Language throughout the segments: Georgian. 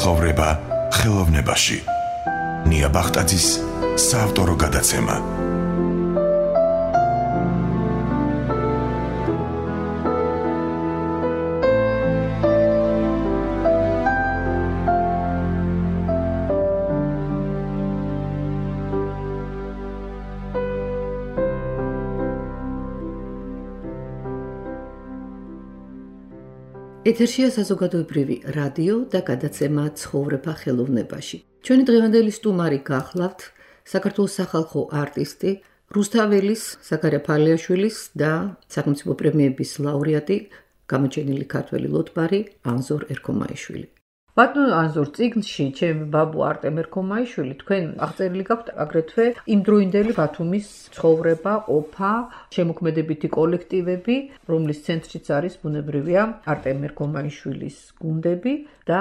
ცხოვრება ხელოვნებაში. ნია ბახტაძის საავტორო გადაცემა. ეთერშია საზოგადოებრივი რადიო და გადაცემა ცხოვრება ხელოვნებაში. ჩვენი დღევანდელი სტუმარი გახლავთ საქართველოს სახალხო არტისტი, რუსთაველის, ზაქარია ფალიაშვილის და სახელმწიფო პრემიების ლაურეატი, გამოჩენილი ქართველი ლოტბარი ანზორ ერქომაიშვილი. ბატონო ანზორ, წიგნში ჩემი ბაბუ არტემ ერქომაიშვილი თქვენ აღწერილი გაქვთ აგრეთვე იმდროინდელი ბათუმის ცხოვრება, ყოფა, შემოქმედებითი კოლექტივები, რომლის ცენტრშიც არის ბუნებრივია არტემ ერქომაიშვილის გუნდები და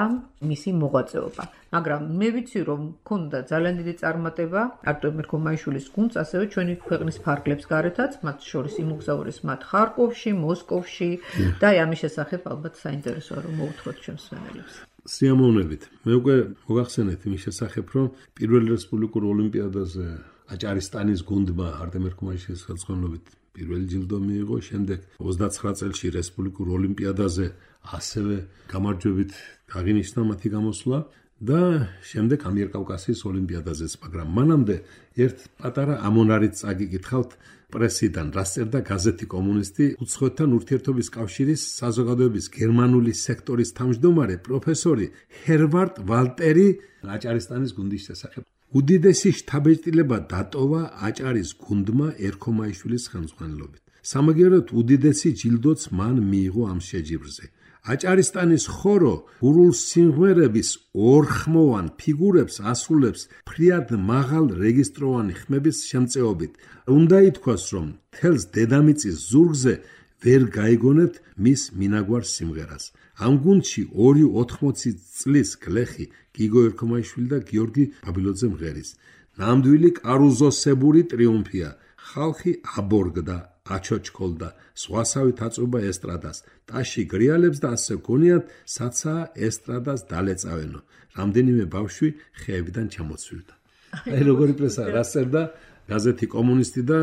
მისი მოღვაწეობა. მაგრამ მე ვიცი, რომ მქონდა ძალიან დიდი წარმატება არტემ ერქომაიშვილის გუნდს, ასევე ჩვენი ქვეყნის ფარგლებს გარეთაც, მათ შორის იმოგზაურეს მათ ხარკოვში, მოსკოვში და ამის შესახებ ალბათ საინტერესოა რომ მოუთხოთ ჩვენს მსმენელებს. სიამოვნებით. მე უკვე მოგახსენეთ იმის შესახებ, რომ პირველ რესპუბლიკურ ოლიმპიადაზე აჭარისტანის გუნდმა არტემ ერქომაიშვილის ხელმძღვანელობით პირველი ჯილდო მიიღო, შემდეგ 29 წელში რესპუბლიკურ ოლიმპიადაზე ასევე გამარჯვებით აღინიშნა მათი გამოსვლა და შემდეგ ამიერკავკასიის ოლიმპიადაზეც, მაგრამ მანამდე ერთ პატარა ამონარით წაგიკითხავთ პრესიდან, რაც წერდა გაზეთი კომუნისტი, უცხოეთთან ურთიერთობის კავშირის საზოგადოების გერმანული სექტორის თავმჯდომარე პროფესორი ჰერვარდ ვალტერი აჭარისტანის გუნდის შესახებ. უდიდესი შთაბეჭდილება დატოვა აჭარის გუნდმა ერქომაიშვილის ხელმძღვანელობით. სამაგიეროდ უდიდესი ჯილდოც მან მიიღო ამ შეჯიბრზე. აჭარისტანის ხორო გურულ სიმღერების ორხმოვან ფიგურებს ასრულებს ფრიად მაღალ რეგისტროვანი ხმების შემწეობით. უნდა ითქვას, რომ თელს დედამიწის ზურგზე ვერ გაიგონებთ მის მინაგვარ სიმღერას. ამ გუნდში 2-80 წლის გლეხი გიგო ერქომაიშვილი და გიორგი ბაბილოძე მღერის. ნამდვილი კარუზოსებური ტრიუმფია. ხალხი აბორგდა, აჩოჩქოლდა, სხვასავით აწובה ესტრადას, ტაში გრიალებს და ასე გონიათ, საცაა ესტრადას დალეწავენო. რამდენიმე ბავშვი ხეებიდან ჩამოცვივდა. აი როგორი პრესა, რა წერდა გაზეთი კომუნისტი და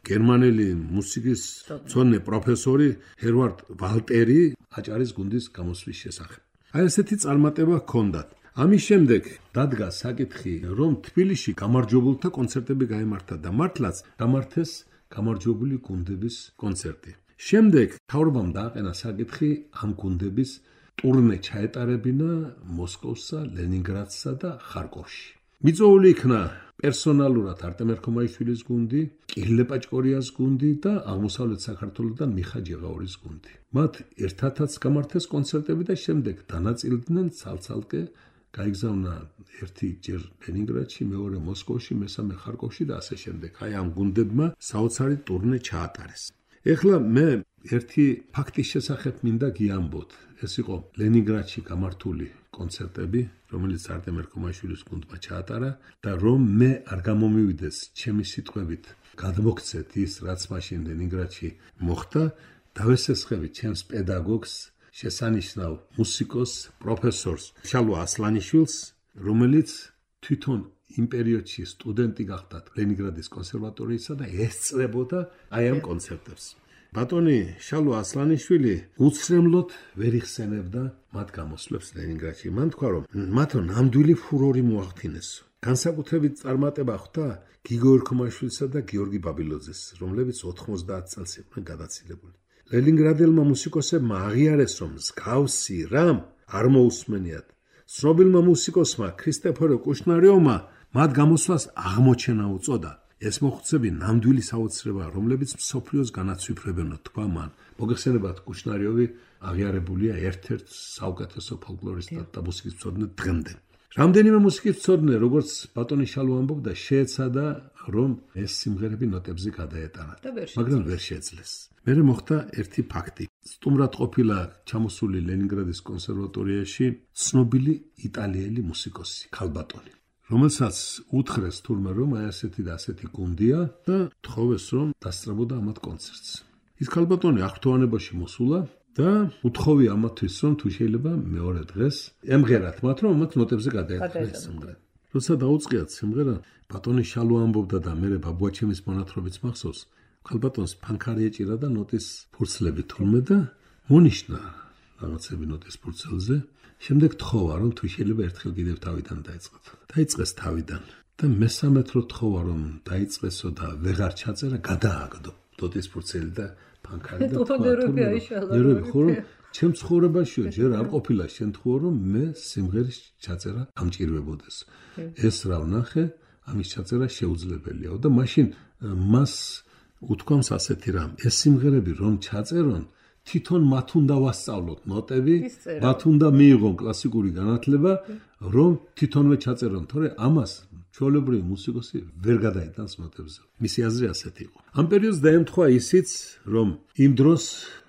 გერმანელი მუსიკის მცოდნე პროფესორი ჰერვარდ ვალტერი აჭარის გუნდის გამოსვლის შესახებ. აი ესეთი წარმატება ჰქონდათ. ამის შემდეგ დადგა საკითხი, რომ თბილისში გამარჯვებულთა კონცერტები გაემართა და მართლაც გამართეს გამარჯვებული გუნდების კონცერტი. შემდეგ მთავრობამ დააყენა საკითხი ამ გუნდების ტურნე ჩაეტარებინა მოსკოვსა, ლენინგრადსა და ხარკოვში. მიწვეული იქნა პერსონალურად არტემ ერქომაიშვილის გუნდი, კირილე პაჭკორიას გუნდი და აღმოსავლეთ საქართველოსთან მიხა ჯეღაურის გუნდი. მათ ერთადაც გამართეს კონცერტები და შემდეგ დანაწილდნენ ცალ-ცალკე გაიგზავნა ერთი ჯერ ლენინგრადში, მეორე მოსკოვში, მესამე ხარკოვში და ასე შემდეგ. აი ამ გუნდებმა საოცარი ტურნე ჩაატარეს. ეხლა მე ერთი ფაქტის შესახებ მინდა გიამბოთ. ეს იყო ლენინგრადში გამართული კონცერტები, რომელიც არტემ ერქომაიშვილის გუნდმა ჩაატარა და რომ მე არ გამომივიდეს ჩემი სიტყვებით გადმოგცეთ ის, რაც მაშინ ლენინგრადში მოხდა, დავესესხები ჩემს პედაგოგს, შესანიშნავ მუსიკოს, პროფესორს შალვა ასლანიშვილს, რომელიც თვითონ იმ პერიოდში სტუდენტი გახდა ლენინგრადის კონსერვატორიისა და ესწრებოდა აი ამ კონცერტებს. ბატონი შალვა ასლანიშვილი უცრემლოდ ვერ იხსენებდა მათ გამოსვლებს ლენინგრადში. მან თქვა, რომ მათო ნამდვილი ფურორი მოახდინეს. განსაკუთრებით წარმატება ხვდა გიგო ერქომაიშვილსა და გიორგი ბაბილოძეს, რომლებიც 90 წელს იყვნენ გადაცილებული. ლენინგრადილმა მუსიკოსებმა აღიარეს, რომ მსგავსი რამ არ მოусმენიათ. ცნობილმა მუსიკოსმა ქრისტეფორე კუშნარიოვმა მათ გამოსვლას აღმოჩენა უწოდა. ეს მოხუცები ნამდვილი საოცრებაა, რომლებიც მსოფლიოს განაცვიფრებენო, თქვა მან. მოგეხსენებათ, კუშნარიოვი აღიარებულია ერთ-ერთ საუკეთესო ფოლკლორისტად და მუსიკის მცოდნედ დღემდე. რამდენიმე მუსიკის მცოდნე, როგორც ბატონი შალვა ამბობდა, შეეცადა, რომ ეს სიმღერები ნოტებზე გადაეტანათ, მაგრამ ვერ შეძლეს. მერე მოხდა ერთი ფაქტი. სტუმრად ყოფილა ჩამოსული ლენინგრადის კონსერვატორიაში ცნობილი იტალიელი მუსიკოსი, ქალბატონი, რომელსაც უთხრეს თურმე, რომ აი ასეთი და ასეთი გუნდია და თხოვეს, რომ დასწრებოდა ამათ კონცერტს. ის ქალბატონი აღფრთოვანებაში მოსულა და უთხოვი ამათვის რომ თუ შეიძლება მეორე დღეს ემღერათ მათ რომ მათ ნოტებზე გადაეთხეს სიმღერა. როცა დაუწყიათ სიმღერა, ბატონი შალვა ამბობდა და მე ბაბუაჩემის მონათხრობიც მახსოვს, ქალბატონს ფანქარი ეჭირა და ნოტის ფურცლები თურმე და მონიშნა რაღაცები ნოტის ფურცელზე. შემდეგ თხოვა რომ თუ შეიძლება ერთხელ კიდევ თავიდან დაიწყოთ. დაიწყეს თავიდან და მესამედ რო თხოვა რომ დაიწყესო და ვეღარ ჩაწერა, გადააგდო ნოტის ფურცელი და ფანქარი და ხო ჩემ ცხოვრებაშიო ჯერ არ ყოფილა შემთხვევა რომ მე სიმღერის ჩაწერა გამჭირვებოდეს. ეს რა ვნახე, ამის ჩაწერა შეუძლებელია და მაშინ მას უთქვამს ასეთი რამ, ეს სიმღერები რომ ჩაწერონ, თვითონ მათ უნდა ვასწავლოთ ნოტები, მათ უნდა მიიღონ კლასიკური განათლება, რომ თვითონვე ჩაწერონ, თორე ამას ჩვეულებრივი მუსიკოსი ვერ გადაიტანს ნოტებზე. მისი აზრი ასეთი იყო. ამ პერიოდს დაემთხვა ისიც, რომ იმ დროს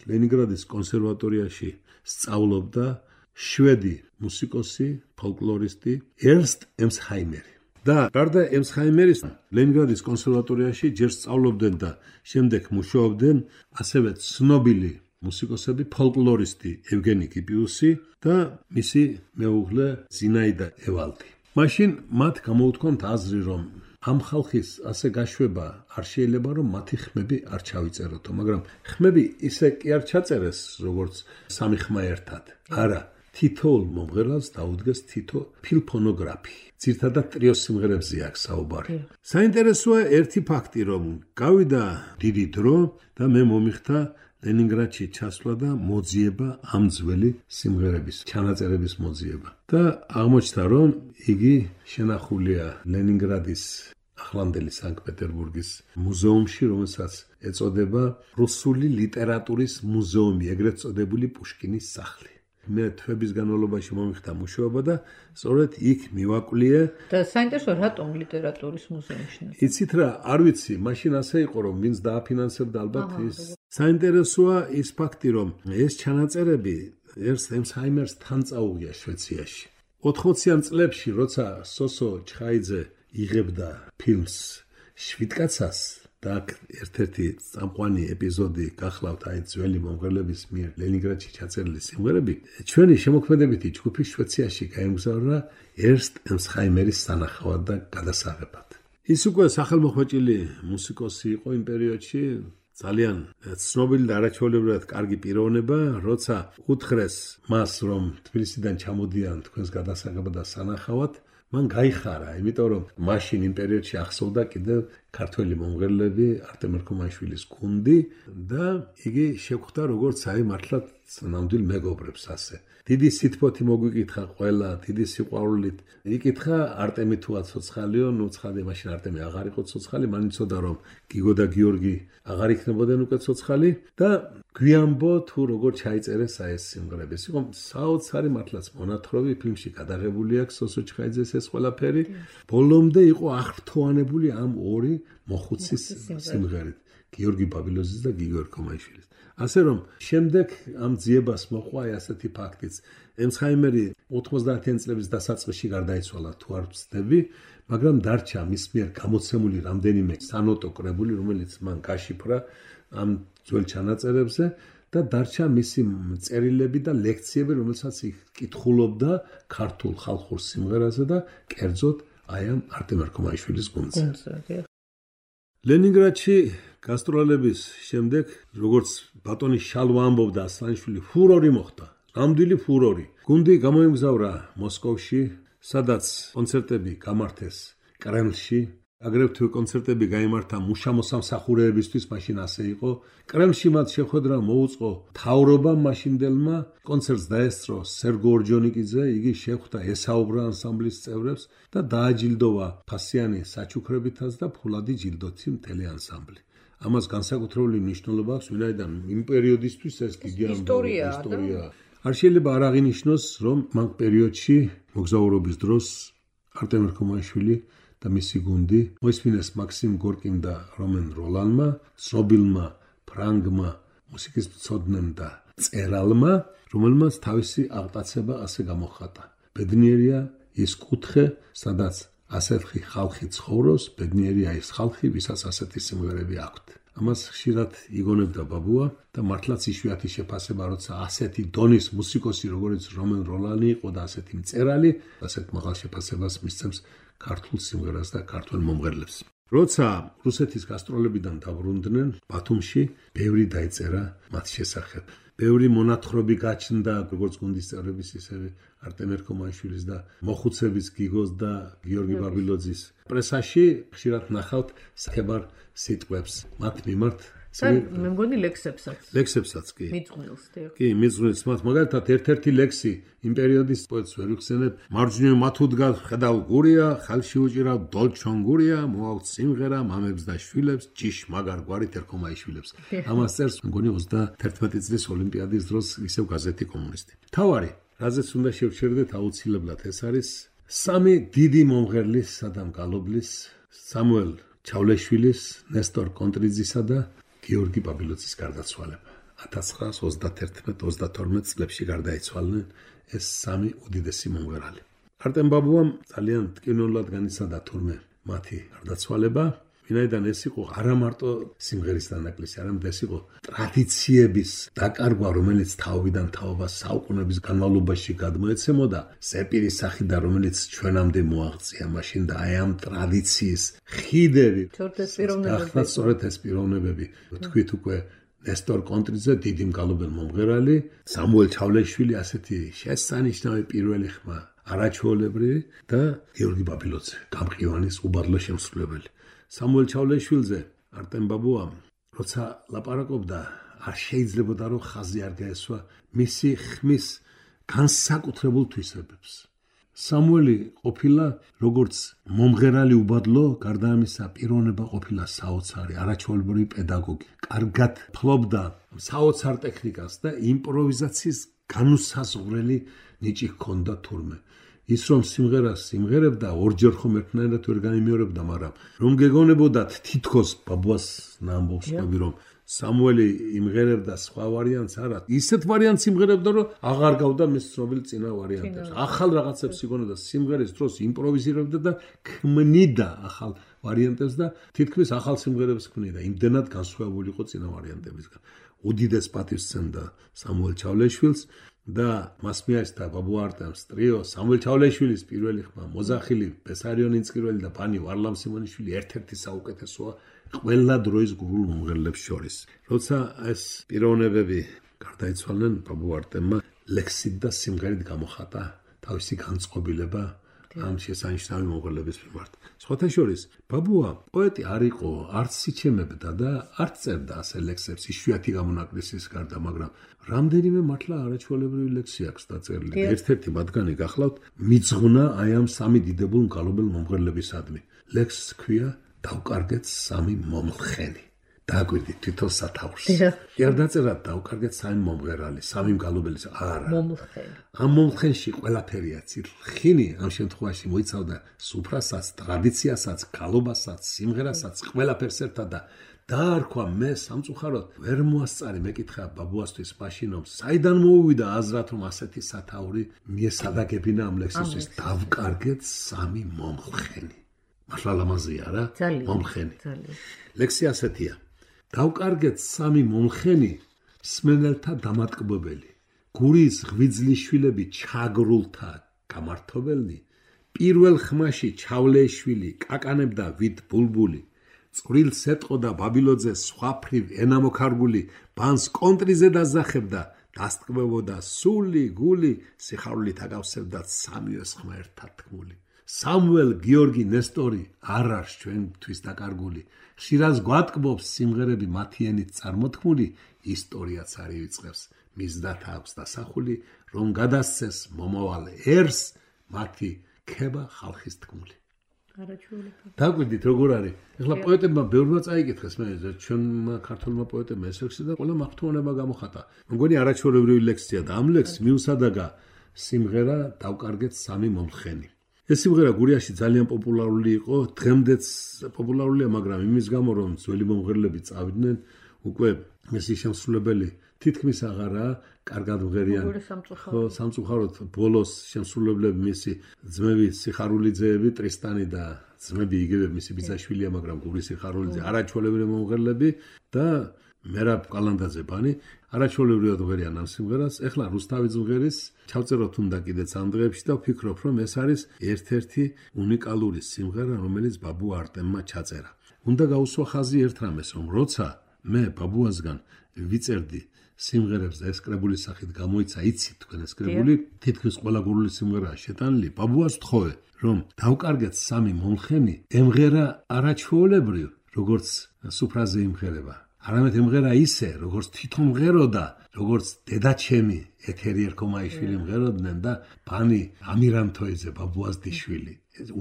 ლენინგრადის კონსერვატორიაში სწავლობდა შვედი მუსიკოსი, ფოლკლორისტი ერნსტ ემსჰაიმერი. და გარდა ემსჰაიმერის ლენინგრადის კონსერვატორიაში ჯერ სწავლობდნენ და შემდეგ მუშაობდნენ ასევე ცნობილი მუსიკოსები, ფოლკლორისტი ევგენი კიპიუსი და მისი მეუღლე ზინაიდა ევალდი. მაშინ მათ გამოუთქვამთ აზრი, რომ ამ ხალხის ასე გაშვება არ შეიძლება რომ მათი ხმები არ ჩავიწეროთო, მაგრამ ხმები ისე კი არ ჩაწერეს, როგორც სამი ხმა ერთად. არა, თითოეულ მომღერალს დაუდგეს თითო ფილფონოგრაფი. ძირთადად ტრიოს სიმღერებზე აქვს საუბარი. საინტერესოა ერთი ფაქტი, რომ გავიდა დიდი დრო და მე მომიხდა ლენინგრადში ჩასვლა და მოძიება ამ ძველი სიმღერების, ჩანაწერების მოძიება. და აღმოჩნდა, რომ იგი შენახულია ლენინგრადის ახლანდელი სანქტ-პეტერბურგის მუზეუმში, რომელსაც ეწოდება რუსული ლიტერატურის მუზეუმი, ეგრეთ წოდებული პუშკინის სახლი. მე თვების განმავლობაში მომიხდა მუშაობა და სწორედ იქ მივაკვლიე. და საინტერესოა, რატომ ლიტერატურის მუზეუმში? იცით რა, არ ვიცი, მაშინ ასე იყო, რომ ვინც დააფინანსებდა ალბათ ის. საინტერესოა ის ფაქტი, რომ ეს ჩანაწერები ერნსტ ემსჰაიმერს თან წაუღია შვეციაში. 80-იან წლებში, როცა სოსო ჩხაიძე იღებდა ფილმს შვიდკაცას და ერთ-ერთი წამყვანი ეპიზოდი გახლავთ აი ძველი მომღერლების მიერ ლენინგრადში ჩაწერილი სიმღერები, ჩვენი შემოქმედებითი ჯგუფი შვეციაში გაემგზავრა ერნსტ ემსჰაიმერის სანახავად და გადასაღებად. ის უკვე სახელმოხვეჭილი მუსიკოსი იყო იმ პერიოდში, ძალიან ცნობილი და არაჩვეულებრივად კარგი პიროვნება, როცა უთხრეს მას, რომ თბილისიდან ჩამოდიან თქვენს გადასაღებად და სანახავად, მან გაიხარა, იმიტომ რომ მაშინ იმ პერიოდში ახსოვდა კიდევ ქართველი მომღერლები, არტემ ერქომაიშვილის გუნდი და იგი შეხვდა როგორც აი მართლაც ნამდვილ მეგობრებს ასე. დიდი სითბოთი მოგვიკითხა ყველა, დიდი სიყვარულით. იკითხა არტემი თუ აცოცხალიო, ნუ ცხადე მაშინ არტემი აღარ იყო ცოცხალი, მან იცოდა რომ გიგო და გიორგი აღარ იქნებოდნენ უკვე ცოცხალი და გვიანბო თუ როგორ ჩაიწერეს აი ეს სიმღერები. იყო საოცარი მართლაც მონათხრობი, ფილმში გადაღებული აქვს სოსო ჩხაიძეს ეს ყველაფერი. ბოლომდე იყო აღფრთოვანებული ამ ორი მოხუცის სიმღერით, გიორგი ბაბილოზის და გიგო ერქომაიშვილის. ასე რომ შემდეგ ამ ძიებას მოყვა ასეთი ფაქტიც. ემსჰაიმერი 90-იან წლების დასაწყისში გარდაიცვალა, თუ არ ვცდები, მაგრამ დარჩა მის მიერ გამოცემული რამდენიმე სანოტო კრებული, რომელიც მან გაშიფრა ამ ძველ ჩანაწერებზე და დარჩა მისი წერილები და ლექციები, რომელსაც იქ კითხულობდა ქართულ ხალხურ სიმღერაზე და კერძოდ აი ამ არტემ ერქომაიშვილის გუნდზე. ლენინგრადში გასტროლების შემდეგ, როგორც ბატონი შალვა ამბობდა, ასლანიშვილი ფურორი მოხდა. ნამდვილი ფურორი. გუნდი გამოემგზავრა მოსკოვში, სადაც კონცერტები გამართეს კრემლში. აგრეთვე კონცერტები გაიმართა მუშა-მოსამსახურეებისთვის, მაშინ ასე იყო. კრემლში მათ შეხვედრა მოუწყო მთავრობამ მაშინდელმა, კონცერტს დაესწრო სერგო ორჯონიკიძე, იგი შეხვდა ესაუბრა ანსამბლის წევრებს და დააჯილდოვა ფასიანი საჩუქრებითაც და ფულადი ჯილდოთი მთელი ანსამბლი. ამას განსაკუთრებული მნიშვნელობა აქვს, ვინაიდან იმ პერიოდისთვის ეს დიდი ისტორია. არ შეიძლება არ აღინიშნოს, რომ მაგ პერიოდში მოგზაურობის დროს არტემ ერქომაიშვილი და მისი გუნდი მოისმინეს მაქსიმ გორკიმ და რომენ როლანმა, ცნობილმა ფრანგმა მუსიკის მცოდნემ და წერალმა, რომელმაც თავისი აღტაცება ასე გამოხატა. ბედნიერია ის კუთხე, სადაც ასეთი ხალხი ცხოვრობს, ბედნიერია ის ხალხი, ვისაც ასეთი სიმღერები აქვთ. ამას ხშირად იგონებდა ბაბუა და მართლაც იშვიათი შეფასება, როცა ასეთი დონის მუსიკოსი, როგორც რომენ როლანი იყო და ასეთი მწერალი, ასეთ მაღალ შეფასებას მისცემს ქართულ სიმღერას და ქართულ მომღერლებს. როცა რუსეთის გასტროლებიდან დაბრუნდნენ ბათუმში, ბევრი დაიწერა მათ შესახებ. ბევრი მონათხრობი გაჩნდა როგორც გუნდის წევრების, ისევე არტემ ერქომაიშვილის და მოხუცების გიგოს და გიორგი ბაბილოძის. პრესაში ხშირად ნახავთ საკებარ სიტყვებს მათ მიმართ. მე მგონი ლექსებსაც კი. მიძღვნილს კი, მიძღვნილს მათ. მაგალითად, ერთ-ერთი ლექსი იმ პერიოდის პოეტს ვერ ვიხსენებ. მარჯვნივ მათ უდგას ხედავ გურია, ხალში უჭირავ დოლჩონ გურია, მოაქვს სიმღერა მამებს და შვილებს, ჭიშ მაგარ გვარით ერქომაიშვილებს. ამას წერს მგონი 31 წლის ოლიმპიადის დროს ისევ გაზეთი კომუნისტი. თავარი, რაზეც უნდა შევჩერდეთ აუცილებლად, ეს არის სამი დიდი მომღერლის სადამ გალობლის, სამუელ ჩავლეშვილის, ნესტორ კონტრიძისა და გიორგი ბაბილოძის გარდაცვალება. 1931-32 წლებში გარდაიცვალნენ ეს სამი უდიდესი მომღერალი. არტემ ბაბუამ ძალიან ტკივნულად განიცადა თურმე მათი გარდაცვალება, ვინაიდან ეს იყო არა მარტო სიმღერის დანაკლისი, არამედ ეს იყო ტრადიციების დაკარგვა, რომელიც თაობიდან თაობას საუკუნეების განმავლობაში გადმოეცემოდა, ზეპირის სახიდან, რომელიც ჩვენამდე მოაღწია მაშინ და აი ამ ტრადიციის ხიდები. ახლა სწორედ ეს პიროვნებები, თქვით უკვე ნესტორ კონტრიძე, დიდი მგალობელ მომღერალი, სამუელ ჩავლეშვილი, ასეთი შესანიშნავი პირველი ხმა, არაჩვეულებრივი და გიორგი ბაბილოძე, გამყივანის უბადლო შემსრულებელი. სამუელ ჩავლეშვილზე არტემ ბაბუამ როცა ლაპარაკობდა, არ შეიძლებოდა რომ ხაზი არ გაესვა მისი ხმის განსაკუთრებულ თვისებებს. სამუელი ყოფილა როგორც მომღერალი უბადლო, გარდა ამისა პიროვნება ყოფილა საოცარი, არაჩვეულებრივი პედაგოგი. კარგად ფლობდა საოცარ ტექნიკას და იმპროვიზაციის განუსაზღვრელი ნიჭი ჰქონდა თურმე. ის რომ სიმღერას სიმღერებდა, ორჯერ ხომ ერთნაირად ვერ განიმეორებდა, მაგრამ რომ გეგონებოდათ თითქოს ბაბუას ნამბობს ყვები, რომ სამუელი იმღერებდა სხვა ვარიანტს არა, ისეთ ვარიანტს იმღერებდა, რომ აღარ გავდა მის ცნობილ წინა ვარიანტებს. ახალ რაღაცებს იგონებდა, სიმღერის დროს იმპროვიზირებდა და ქმნიდა ახალ ვარიანტებს და თითქმის ახალ სიმღერებს ქმნიდა, იმდენად განსხვავებული იყო წინა ვარიანტებისგან. უდიდეს პატივს სცემდა სამუელ ჩავლეშვილს და მას მიაჩნდა ბაბუ არტემს ტრიო, სამუელ ჩავლეშვილის პირველი ხმა, მოზახილი, ბესარიონ ინწკირველი და პანი ვარლამ სიმონიშვილი ერთ-ერთი საუკეთესოა ყველა დროის გურულ მომღერლებს შორის. როცა ეს პიროვნებები გარდაიცვალნენ, ბაბუ არტემმა ლექსით და სიმღერით გამოხატა თავისი განწყობილება ამ შესანიშნავი მომღერლების მიმართ. სხვათა შორის, ბაბუა პოეტი არ იყო, არც სიჩემებდა და არც წერდა ასე ლექსებს, იშვიათი გამონაკლისის გარდა, მაგრამ რამდენიმე მართლა არაჩვეულებრივი ლექსი აქვს დაწერილი. ერთ-ერთი მათგანი გახლავთ მიძღვნა აი ამ სამი დიდებულ მგალობელ მომღერლებისადმი. ლექსს ჰქვია დავკარგეთ სამი მომლხენი. დააკვირდით თვითონ სათაურს. არ დაწერა დავკარგეთ სამი მომღერალი, სამი მგალობელის არა. მომლხენი. ამ მომლხენში ყველაფერია ცილხინი, ამ შემთხვევაში მოიცავდა სუფრასაც, ტრადიციასაც, გალობასაც, სიმღერასაც, ყველაფერს ერთად და დაარქვა მე სამწუხაროდ ვერ მოასწარი მეკითხა ბაბუასთვის მაშინ რომ საიდან მოუვიდა აზრად რომ ასეთი სათაური მიესადაგებინა ამ ლექსისთვის დავკარგეთ სამი მომლხენი. მართლა ლამაზია რა? მომლხენი. ლექსი ასეთია. დავკარგეთ სამი მომლხენი, მსმენელთა დამატკბებელი. გურის ღვიძლი შვილები ჩაგრულთა გამართობელნი, პირველ ხმაში ჩავლეშვილი კაკანებდა ვით ბულბული. წვრილს ეტყოდა ბაბილოძე სხვაფრივ ენამოქარგული, ბანს კონტრიზე დაზახებდა, დასტკბებოდა სული, გული, სიხარულით აგავსებდა სამივე ხმა ერთად თქმული. სამუელ გიორგი ნესტორი არ არის ჩვენთვის დაკარგული. ხშირად გვატკბობს სიმღერები მათი ენით წარმოთქმული, ისტორიაც არ ივიწყებს. მისდათ აქვს დასახული, რომ გადასცეს მომავალ ერს მათი ქება ხალხის თქმული. დაგვიდით როგორ არის? ეხლა პოეტებმა ბევრმა წაიკითხეს, მე ჩვენმა ქართულმა პოეტებმა ეს ლექსი და ყველა მახთოვანება გამოხატა. მგონი არაჩვეულებრივი ლექსია და ამ ლექსს მიუსადაგა სიმღერა დავკარგეთ სამი მომლხენი. ეს სიმღერა გურიაში ძალიან პოპულარული იყო, დღემდეც პოპულარულია, მაგრამ იმის გამო რომ ძველი მომღერლები წავიდნენ, უკვე მისი შემსრულებელი თითქმის აღარა კარგად მღერიან. ხო, სამწუხაროდ ბოლოს შემსრულებლები მისი ძმები სიხარულიძეები, ტრისტანი და ძმები იგივე მისი ბიძაშვილია, მაგრამ გური სიხარულიძე არაჩვეულებრივი მომღერლები და მერაბ კალანდაძე-ბანი არაჩვეულებრივად მღერიან ამ სიმღერას. ეხლა რუსთავის მღერის ჩავწეროთ უნდა კიდეც ამ დღეებში და ვფიქრობ, რომ ეს არის ერთ-ერთი უნიკალური სიმღერა, რომელიც ბაბუ არტემმა ჩაწერა. უნდა გაუსვა ხაზი ერთ რამეს, რომ როცა მე ბაბუასგან ვიწერდი სიმღერებს და ეს კრებულის სახით გამოიცა, იცით თქვენ ეს კრებული, თითქმის ყველა გურული სიმღერაა შეტანილი. ბაბუას ვთხოვე, რომ დავკარგეთ სამი მომხენი, ემღერა არაჩვეულებრივ, როგორც სუფრაზე იმღერება. არამედ ემღერა ისე, როგორც თვითონ მღეროდა, როგორც დედაჩემი ეთერი ერქომაიშვილი მღეროდნენ და ბანი ამირანთოიძე ბაბუას დიშვილი.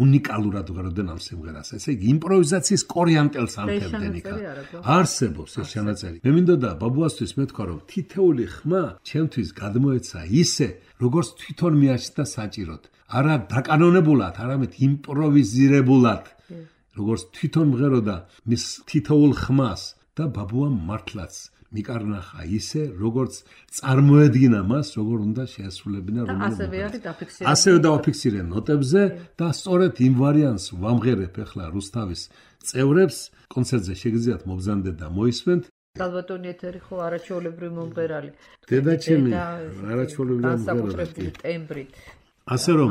უნიკალურად მღეროდნენ ამ სიმღერას. ესე იგი იმპროვიზაციის კორიანტელს ანთებდნენ იქ. არსებობს ეს ჩანაწერი. მე მინდოდა ბაბუასთვის მეთქვა, რომ თითეული ხმა ჩემთვის გადმოეცა ისე, როგორც თვითონ მიაჩნდა საჭიროდ. არა დაკანონებულად, არამედ იმპროვიზირებულად, როგორც თვითონ მღეროდა მის თითოეულ ხმას. და ბაბუამ მართლაც მიკარნახა ისე, როგორც წარმოედგინა მას, როგორ უნდა შეასრულებინა რომელი. ასევე დავაფიქსირე ნოტებზე და სწორედ იმ ვარიანტს ვამღერებ ახლა რუსთავის წევრებს. კონცერტზე შეგიძლიათ მობრძანდეთ და მოისმენთ. ალბათონი ეთერი ხო არაჩვეულებრივი მომღერალი. დედაჩემი არაჩვეულებრივი მომღერალი ტემბრით. ასე რომ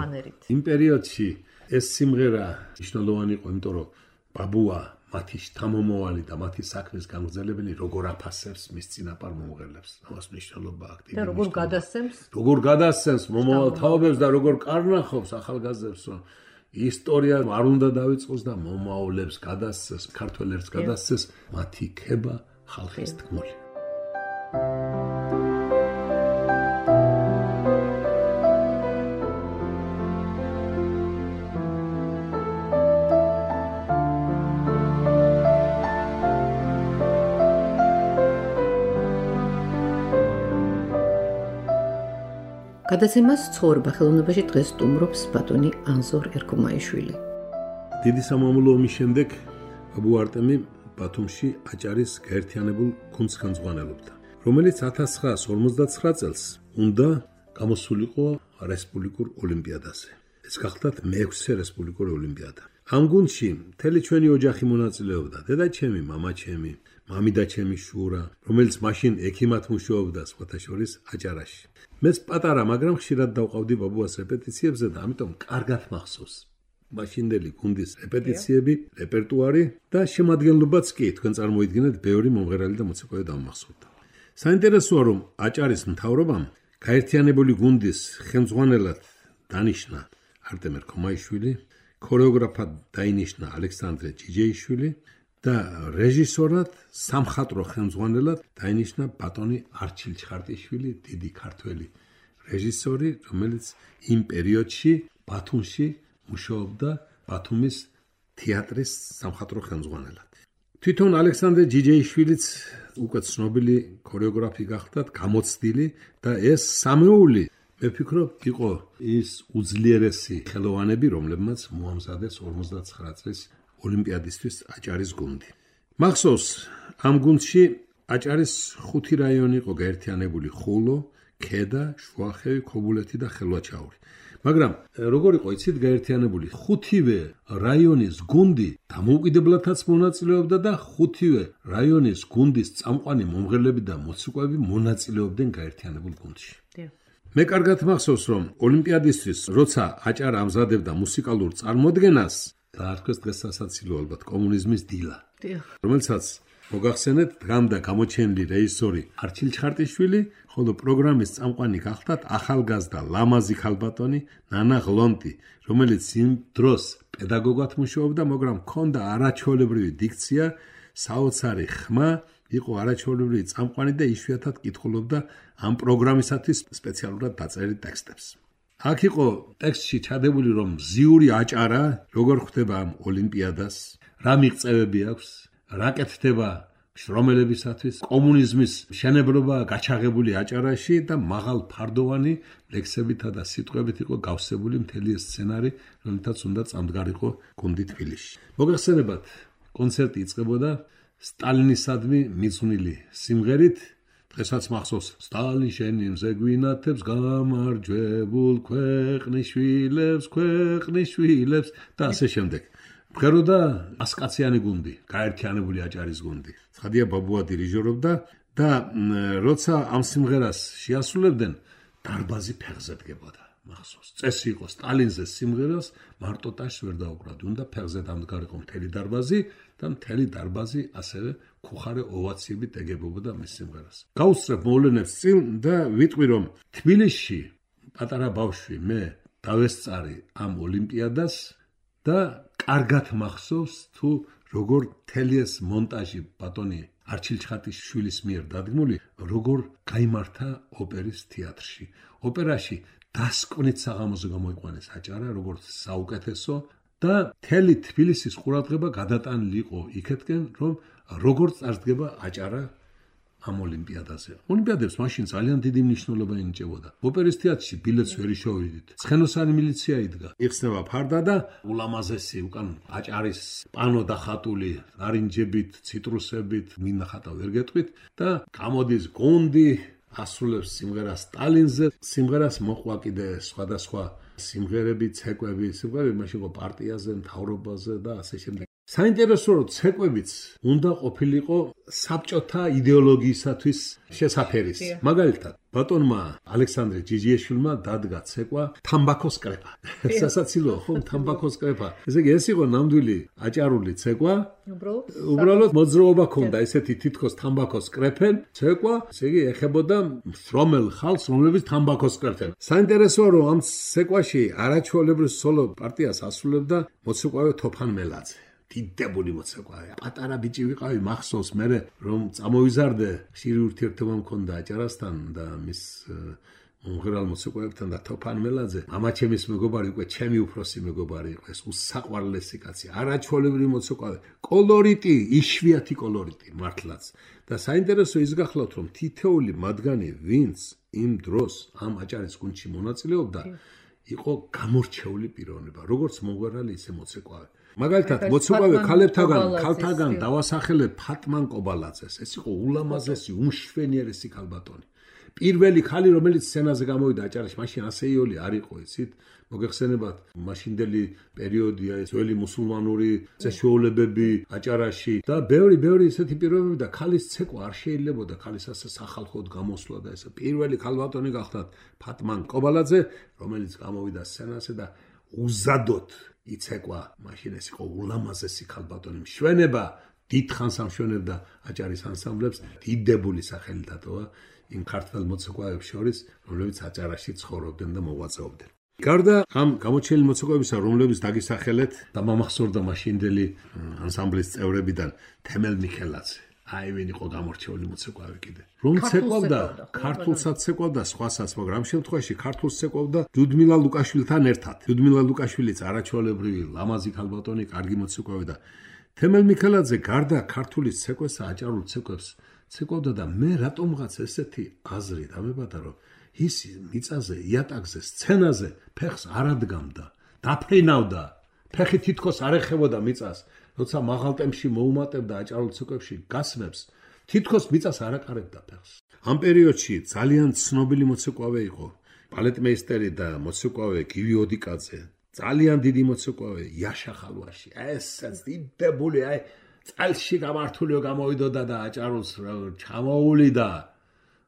იმ პერიოდში ეს სიმღერა მნიშვნელოვანი იყო, იმიტომ რომ ბაბუა მათი შთამომავალი და მათი საქმის გამგრძელებელი როგორ აფასებს მის წინაპარ მომღერლებს. ამას მნიშვნელობა აქტივი. და როგორ გადასცემს? როგორ გადასცემს მომავალ თაობებს და როგორ კარნახობს ახალგაზრდებს, რომ ისტორია არ უნდა დაიწყოს და მომავლებს გადასცეს, ქართველებს გადასცეს მათი ქება ხალხის თქმული. გადაცემას ცხოვრება ხელოვნებაში დღეს სტუმრობს ბატონი ანზორ ერქომაიშვილი. დიდი სამამულო ომის შემდეგ ბაბუ არტემი ბათუმში აჭარის გაერთიანებულ გუნდს ხელმძღვანელობდა, რომელიც 1959 წელს უნდა გამოსულიყო რესპუბლიკურ ოლიმპიადაზე. ეს გახლდათ მეექვსე რესპუბლიკური ოლიმპიადა. ამ გუნდში მთელი ჩვენი ოჯახი მონაწილეობდა, დედაჩემი, მამაჩემი, მამიდაჩემი შურა, რომელიც მაშინ ექიმად მუშაობდა სხვათა შორის აჭარაში. მეც პატარა, მაგრამ ხშირად დავყავდი ბაბუას რეპეტიციებზე და ამიტომ კარგად მახსოვს მაშინდელი გუნდის რეპეტიციები, რეპერტუარი და შემადგენლობაც კი თქვენ წარმოიდგინეთ, ბევრი მომღერალი და მოცეკვავე დამახსოვდა. საინტერესოა, რომ აჭარის მთავრობამ გაერთიანებული გუნდის ხელმძღვანელად დანიშნა არტემ ერქომაიშვილი, ქორეოგრაფად დაინიშნა ალექსანდრე ჯიჯეიშვილი და რეჟისორად სამხატვრო ხელმძღვანელად დაინიშნა ბატონი არჩილ ჩხარტიშვილი, დიდი ქართველი რეჟისორი, რომელიც იმ პერიოდში ბათუმში მუშაობდა ბათუმის თეატრის სამხატვრო ხელმძღვანელად. თვითონ ალექსანდრე ჯიჯეიშვილიც უკვე ცნობილი ქორეოგრაფი გახლდათ, გამოცდილი და ეს სამეული მე ვფიქრობ იყო ის უძლიერესი ხელოვანები, რომლებმაც მოამზადეს 59 წლის ოლიმპიადისთვის აჭარის გუნდი. მახსოვს, ამ გუნდში აჭარის 5 რაიონი იყო გაერთიანებული: ხულო, ქედა, შუახევი, ქობულეთი და ხელვაჩაური. მაგრამ როგორ იყო იცით გაერთიანებული? 5-ვე რაიონის გუნდი დამოუკიდებლადაც მონაწილეობდა და 5-ვე რაიონის გუნდის წამყვანი მომღერლები და მოცეკვავეები მონაწილეობდნენ გაერთიანებულ გუნდში. მე კარგად მახსოვს, რომ ოლიმპიადისთვის, როცა აჭარა ამზადებდა მუსიკალურ წარმოდგენას, დაარქვეს დღესასაცილო ალბათ კომუნიზმის დილა, რომელსაც მოგახსენეთ, დღემდე გამოჩენილი რეჟისორი არჩილ ჩხარტიშვილი, ხოლო პროგრამის წამყვანი გახლდათ ახალგაზრდა ლამაზი ქალბატონი ნანა ღლონტი, რომელიც იმ დროს პედაგოგად მუშაობდა, მაგრამ ჰქონდა არაჩვეულებრივი დიქცია, საოცარი ხმა, იყო არაჩვეულებრივი წამყვანი და იშვიათად კითხულობდა ამ პროგრამისათვის სპეციალურად დაწერილი ტექსტებს. აქ იყო ტექსტში ჩადებული, რომ მზიური აჭარა როგორ ხვდება ამ ოლიმპიადას, რა მიღწევები აქვს, რა კეთდება შრომელებისათვის, კომუნიზმის მშენებლობა გაჩაღებული აჭარაში და მაღალ ფარდოვანი ლექსებითა და სიტყვებით იყო გავსებული მთელი ეს სცენარი, რომელთაც უნდა წამდგარიყო გუნდი თბილისში. მოგეხსენებათ, კონცერტი იწყებოდა სტალინისადმი მიძღვნილი სიმღერით დღესაც მახსოვს სტალინ შენი მზე გვინათებს გამარჯვებულ ქვეყნის შვილებს და ასე შემდეგ. მღეროდა ასკაციანი გუნდი, გაერთიანებული აჭარის გუნდი. ცხადია ბაბუა დირიჟორობდა და როცა ამ სიმღერას შეასრულებდნენ, დარბაზი ფეხზე დგებოდა. მახსოვს, წესი იყო სტალინზე სიმღერას მარტო ტაშს ვერ დაუკრავდი, უნდა ფეხზე დამდგარიყო მთელი დარბაზი და მთელი დარბაზი ასევე ქუხარე ოვაციებით ეგებობდა მის სიმღერას. გავუსწრებ მოვლენებს წინ და ვიტყვი რომ თბილისში პატარა ბავშვი მე დავესწარი ამ ოლიმპიადას და კარგად მახსოვს თუ როგორ მთელი ეს მონტაჟი ბატონი არჩილ-ჩხატის შვილის მიერ დადგმული, როგორ გაიმართა ოპერის თეატრში. ოპერაში დასკვნით საღამოზე გამოიყვანეს აჭარა, როგორც საუკეთესო და მთელი თბილისის ყურადღება გადატანილი იყო იქეთკენ, რომ როგორ წარსდგება აჭარა ამ ოლიმპიადაზე. ოლიმპიადებს მაშინ ძალიან დიდი მნიშვნელობა ენიჭებოდა. ოპერის თეატრში ბილეთს ვერ იშოვიდით. ცხენოსანი მილიცია იდგა. იხსნება ფარდა და ულამაზესი უკან აჭარის პანო დახატული ნარინჯებით, ციტრუსებით, მინახატა ვერ გეტყვით და გამოდის გუნდი ასრულებს სიმღერას სტალინზე. სიმღერას მოყვა კიდე სხვადასხვა სიმღერები, ცეკვები, სიმღერები მაშინ იყო პარტიაზე, მთავრობაზე და ასე შემდეგ. საინტერესო რომ ცეკვებიც უნდა ყოფილიყო საბჭოთა იდეოლოგიისათვის შესაფერის. მაგალითად, ბატონმა ალექსანდრე ჯიჯიეშვილმა დადგა ცეკვა თამბაქოს კრეფა. სასაცილოა, ხო, თამბაქოს კრეფა. ესე იგი, ეს იყო ნამდვილი აჭარული ცეკვა. უბრალოდ მოძრაობა ქონდა ესეთი თითქოს თამბაქოს კრეფენ ცეკვა, ესე იგი, ეხებოდა მსრომელ ხალხს, რომლებიც თამბაქოს კრეფენ. საინტერესოა რომ ამ ცეკვაში არაჩვეულებრივ სოლო პარტიას ასრულებდა მოცეკვავე თოფან მელაძე. დიდებული მოცეკვავე. პატარა ბიჭი ვიყავი, მახსოვს მე რომ წამოვიზარდე, ხშირი ურთიერთობა მქონდა აჭარასთან და მის მომღერალ მოცეკვავებთან და თოფან მელაძე. მამაჩემის მეგობარი უკვე ჩემი უფროსი მეგობარი იყო, ეს უსაყვარლესი კაცი, არაჩვეულებრივი მოცეკვავე. კოლორიტი, იშვიათი კოლორიტი მართლაც. და საინტერესო ის გახლავთ, რომ თითოეული მათგანი, ვინც იმ დროს ამ აჭარის გუნდში მონაწილეობდა, იყო გამორჩეული პიროვნება, როგორც მომღერალი, ისე მოცეკვავე. მაგალითად, მოცეკვავე ქალთაგან დავასახელებ ფატმან კობალაძეს. ეს იყო ულამაზესი, უმშვენიერესი ქალბატონი. პირველი ქალი, რომელიც სცენაზე გამოვიდა აჭარაში, მაშინ ასეიოლი არ იყო, იცით? მოგეხსენებათ, მაშინდელი პერიოდია, ძველი მუსულმანური წესჩვეულებები აჭარაში და ბევრი ისეთი პირობები და ქალის ცეკვა არ შეიძლებოდა ქალის ასე სახალხოდ გამოსვლა და ესე. პირველი ქალბატონი გახდათ ფატმან კობალაძე, რომელიც გამოვიდა სცენაზე და უზადოდ იცეკვა. მაშინ ეს იყო ულამაზესი ქალბატონი, მშვენება, დიდხანს ამშვენებდა აჭარის ანსამბლებს, დიდებული სახელი დატოვა იმ ქართველ მოცეკვავებს შორის, რომლებიც აჭარაში ცხოვრობდნენ და მოღვაწეობდნენ. გარდა ამ გამოჩენილი მოცეკვავებისა, რომლებიც დაგისახელეთ და მომახსოვრდა მაშინდელი ანსამბლის წევრებიდან თემელ მიხელაძე. აი ვინ იყო გამორჩეული მოცეკვავე კიდე. რომ ცეკვავდა, ქართულსაც ცეკვავდა, სხვასაც, მაგრამ ამ შემთხვევაში ქართულს ცეკვავდა ლიუდმილა ლუკაშვილთან ერთად. ლიუდმილა ლუკაშვილიც არაჩვეულებრივი ლამაზი ქალბატონი, კარგი მოცეკვავე და თემელ მიხელაძე გარდა ქართულის ცეკვისა, აჭარულ ცეკვებს ცეკვავდა და მე რატომღაც ესეთი აზრი დამებადა, რომ ის მიწაზე, იატაკზე, სცენაზე ფეხს არ ადგამდა, დაფრინავდა, ფეხი თითქოს არ ეხებოდა მიწას. როცა მაღალ ტემპში მოუმატებდა აჭარულ ცეკვებში გასმებს, თითქოს მიწას არ აკარებდა ფეხს. ამ პერიოდში ძალიან ცნობილი მოცეკვავე იყო ბალეტმეისტერი და მოცეკვავე გივი ოდიკაძე. ძალიან დიდი მოცეკვავე იაშა ხალვაში. ესაც დიდებული, აი წელში გამართულიო გამოვიდოდა და აჭარულს ჩამოულიდა.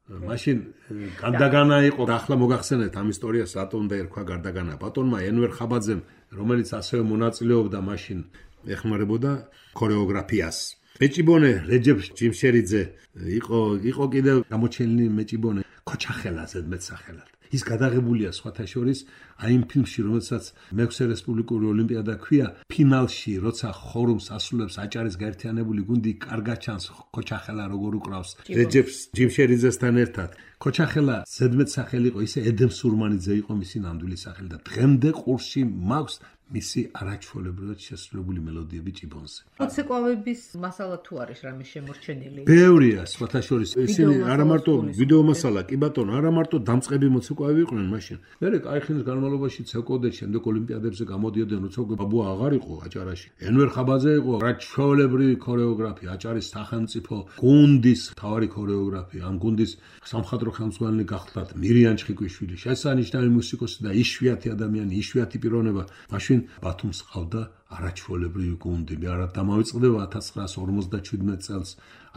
მაშინ გარდაგანა იყო, ახლა მოგახსენეთ ამ ისტორიას რატომ დაერქვა გარდაგანა. ბატონმა ენვერ ხაბაძემ, რომელიც ასევე მონაწილეობდა მაშინ ეხმარებოდა ქორეოგრაფიას. მეჭიბონე რეჯეფ ჯიმშერიძე იყო კიდევ გამოჩენილი მეჭიბონე ქოჩახელა ზედმეტსახელად. ის გადაღებულია სხვათა შორის აი იმ ფილმში, რომელსაც მე-6 რესპუბლიკური ოლიმპიადა ქვია, ფინალში, როცა ხორუმს ასრულებს აჭარის გაერთიანებული გუნდი, კარგად ჩანს ქოჩახელა როგორ უკრავს რეჯეფ ჯიმშერიძესთან ერთად. ქოჩახელა ზედმეტსახელი იყო, ისე ედემ სურმანიძე იყო მისი ნამდვილი სახელი და დღემდე ყურში მაქვს მისი არაჩვეულებრივად შესრულებული მელოდიები ჭიბონზე. მოცეკვავების მასალა თუ არის რამე შემორჩენილი? ბევრია, სხვათა შორის ისინი არა მარტო ვიდეო მასალა, კი ბატონო, არა მარტო დამწყები მოცეკვავები იყვნენ მაშინ. მერე კაი ხნის განმავლობაში ცეკოდნენ, შემდეგ ოლიმპიადებზე გამოდიოდნენ, როცა ბაბუა აღარ იყო აჭარაში. ენვერ ხაბაძე იყო არაჩვეულებრივი ქორეოგრაფი, აჭარის სახელმწიფო გუნდის მთავარი ქორეოგრაფი. ამ გუნდის სამხატვრო ხელმძღვანელი გახლდათ მირიან ჩხიკვიშვილი, შესანიშნავი მუსიკოსი და იშვიათი ადამიანი, იშვიათი პიროვნება. მაშინ ბათუმს ყავდა არაჩვეულებრივი გუნდი. მე არა დამავიწყდება 1957 წელს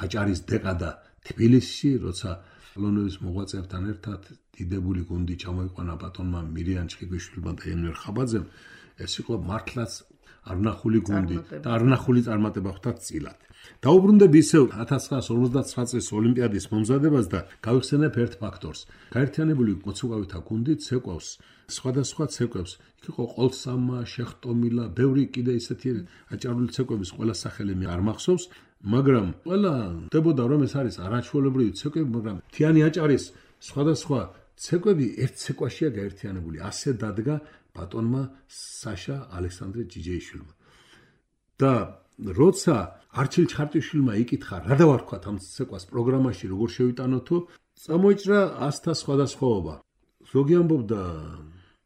აჭარის დეკადა თბილისში, როცა ლონოვის მოღვაწეებთან ერთად დიდებული გუნდი ჩამოიყვანა ბატონმა მირიან ჩხიკვიშვილმა და ენვერ ხაბაძემ. ეს იყო მართლაც არნახული გუნდი და არნახული წარმატება ხვდა წილად. დაუბრუნდები ისევ 1959 წლის ოლიმპიადის მომზადებას და გავიხსენებ ერთ ფაქტორს. გაერთიანებული მოცეკვავითა გუნდი ცეკვავს სხვადასხვა ცეკვებს. იქ იყო ყოლსამა, შეხტომილა, ბევრი კიდე ისეთი აჭარული ცეკვების ყველა სახელი მე არ მახსოვს, მაგრამ ყველა ხდებოდა რომ ეს არის არაჩვეულებრივი ცეკვები, მაგრამ მთიანი აჭარის სხვადასხვა ცეკვები ერთ ცეკვაშია გაერთიანებული. ასე დადგა ბატონმა საშა ალექსანდრე ჯიჯეიშვილმა. და როცა არჩილ ჩხარტიშვილმა იკითხა რა დავარქვათ ამ ცეკვას პროგრამაში როგორ შევიტანოთო, წამოიჭრა ასთა სხვადასხვაობა. ზოგი ამბობდა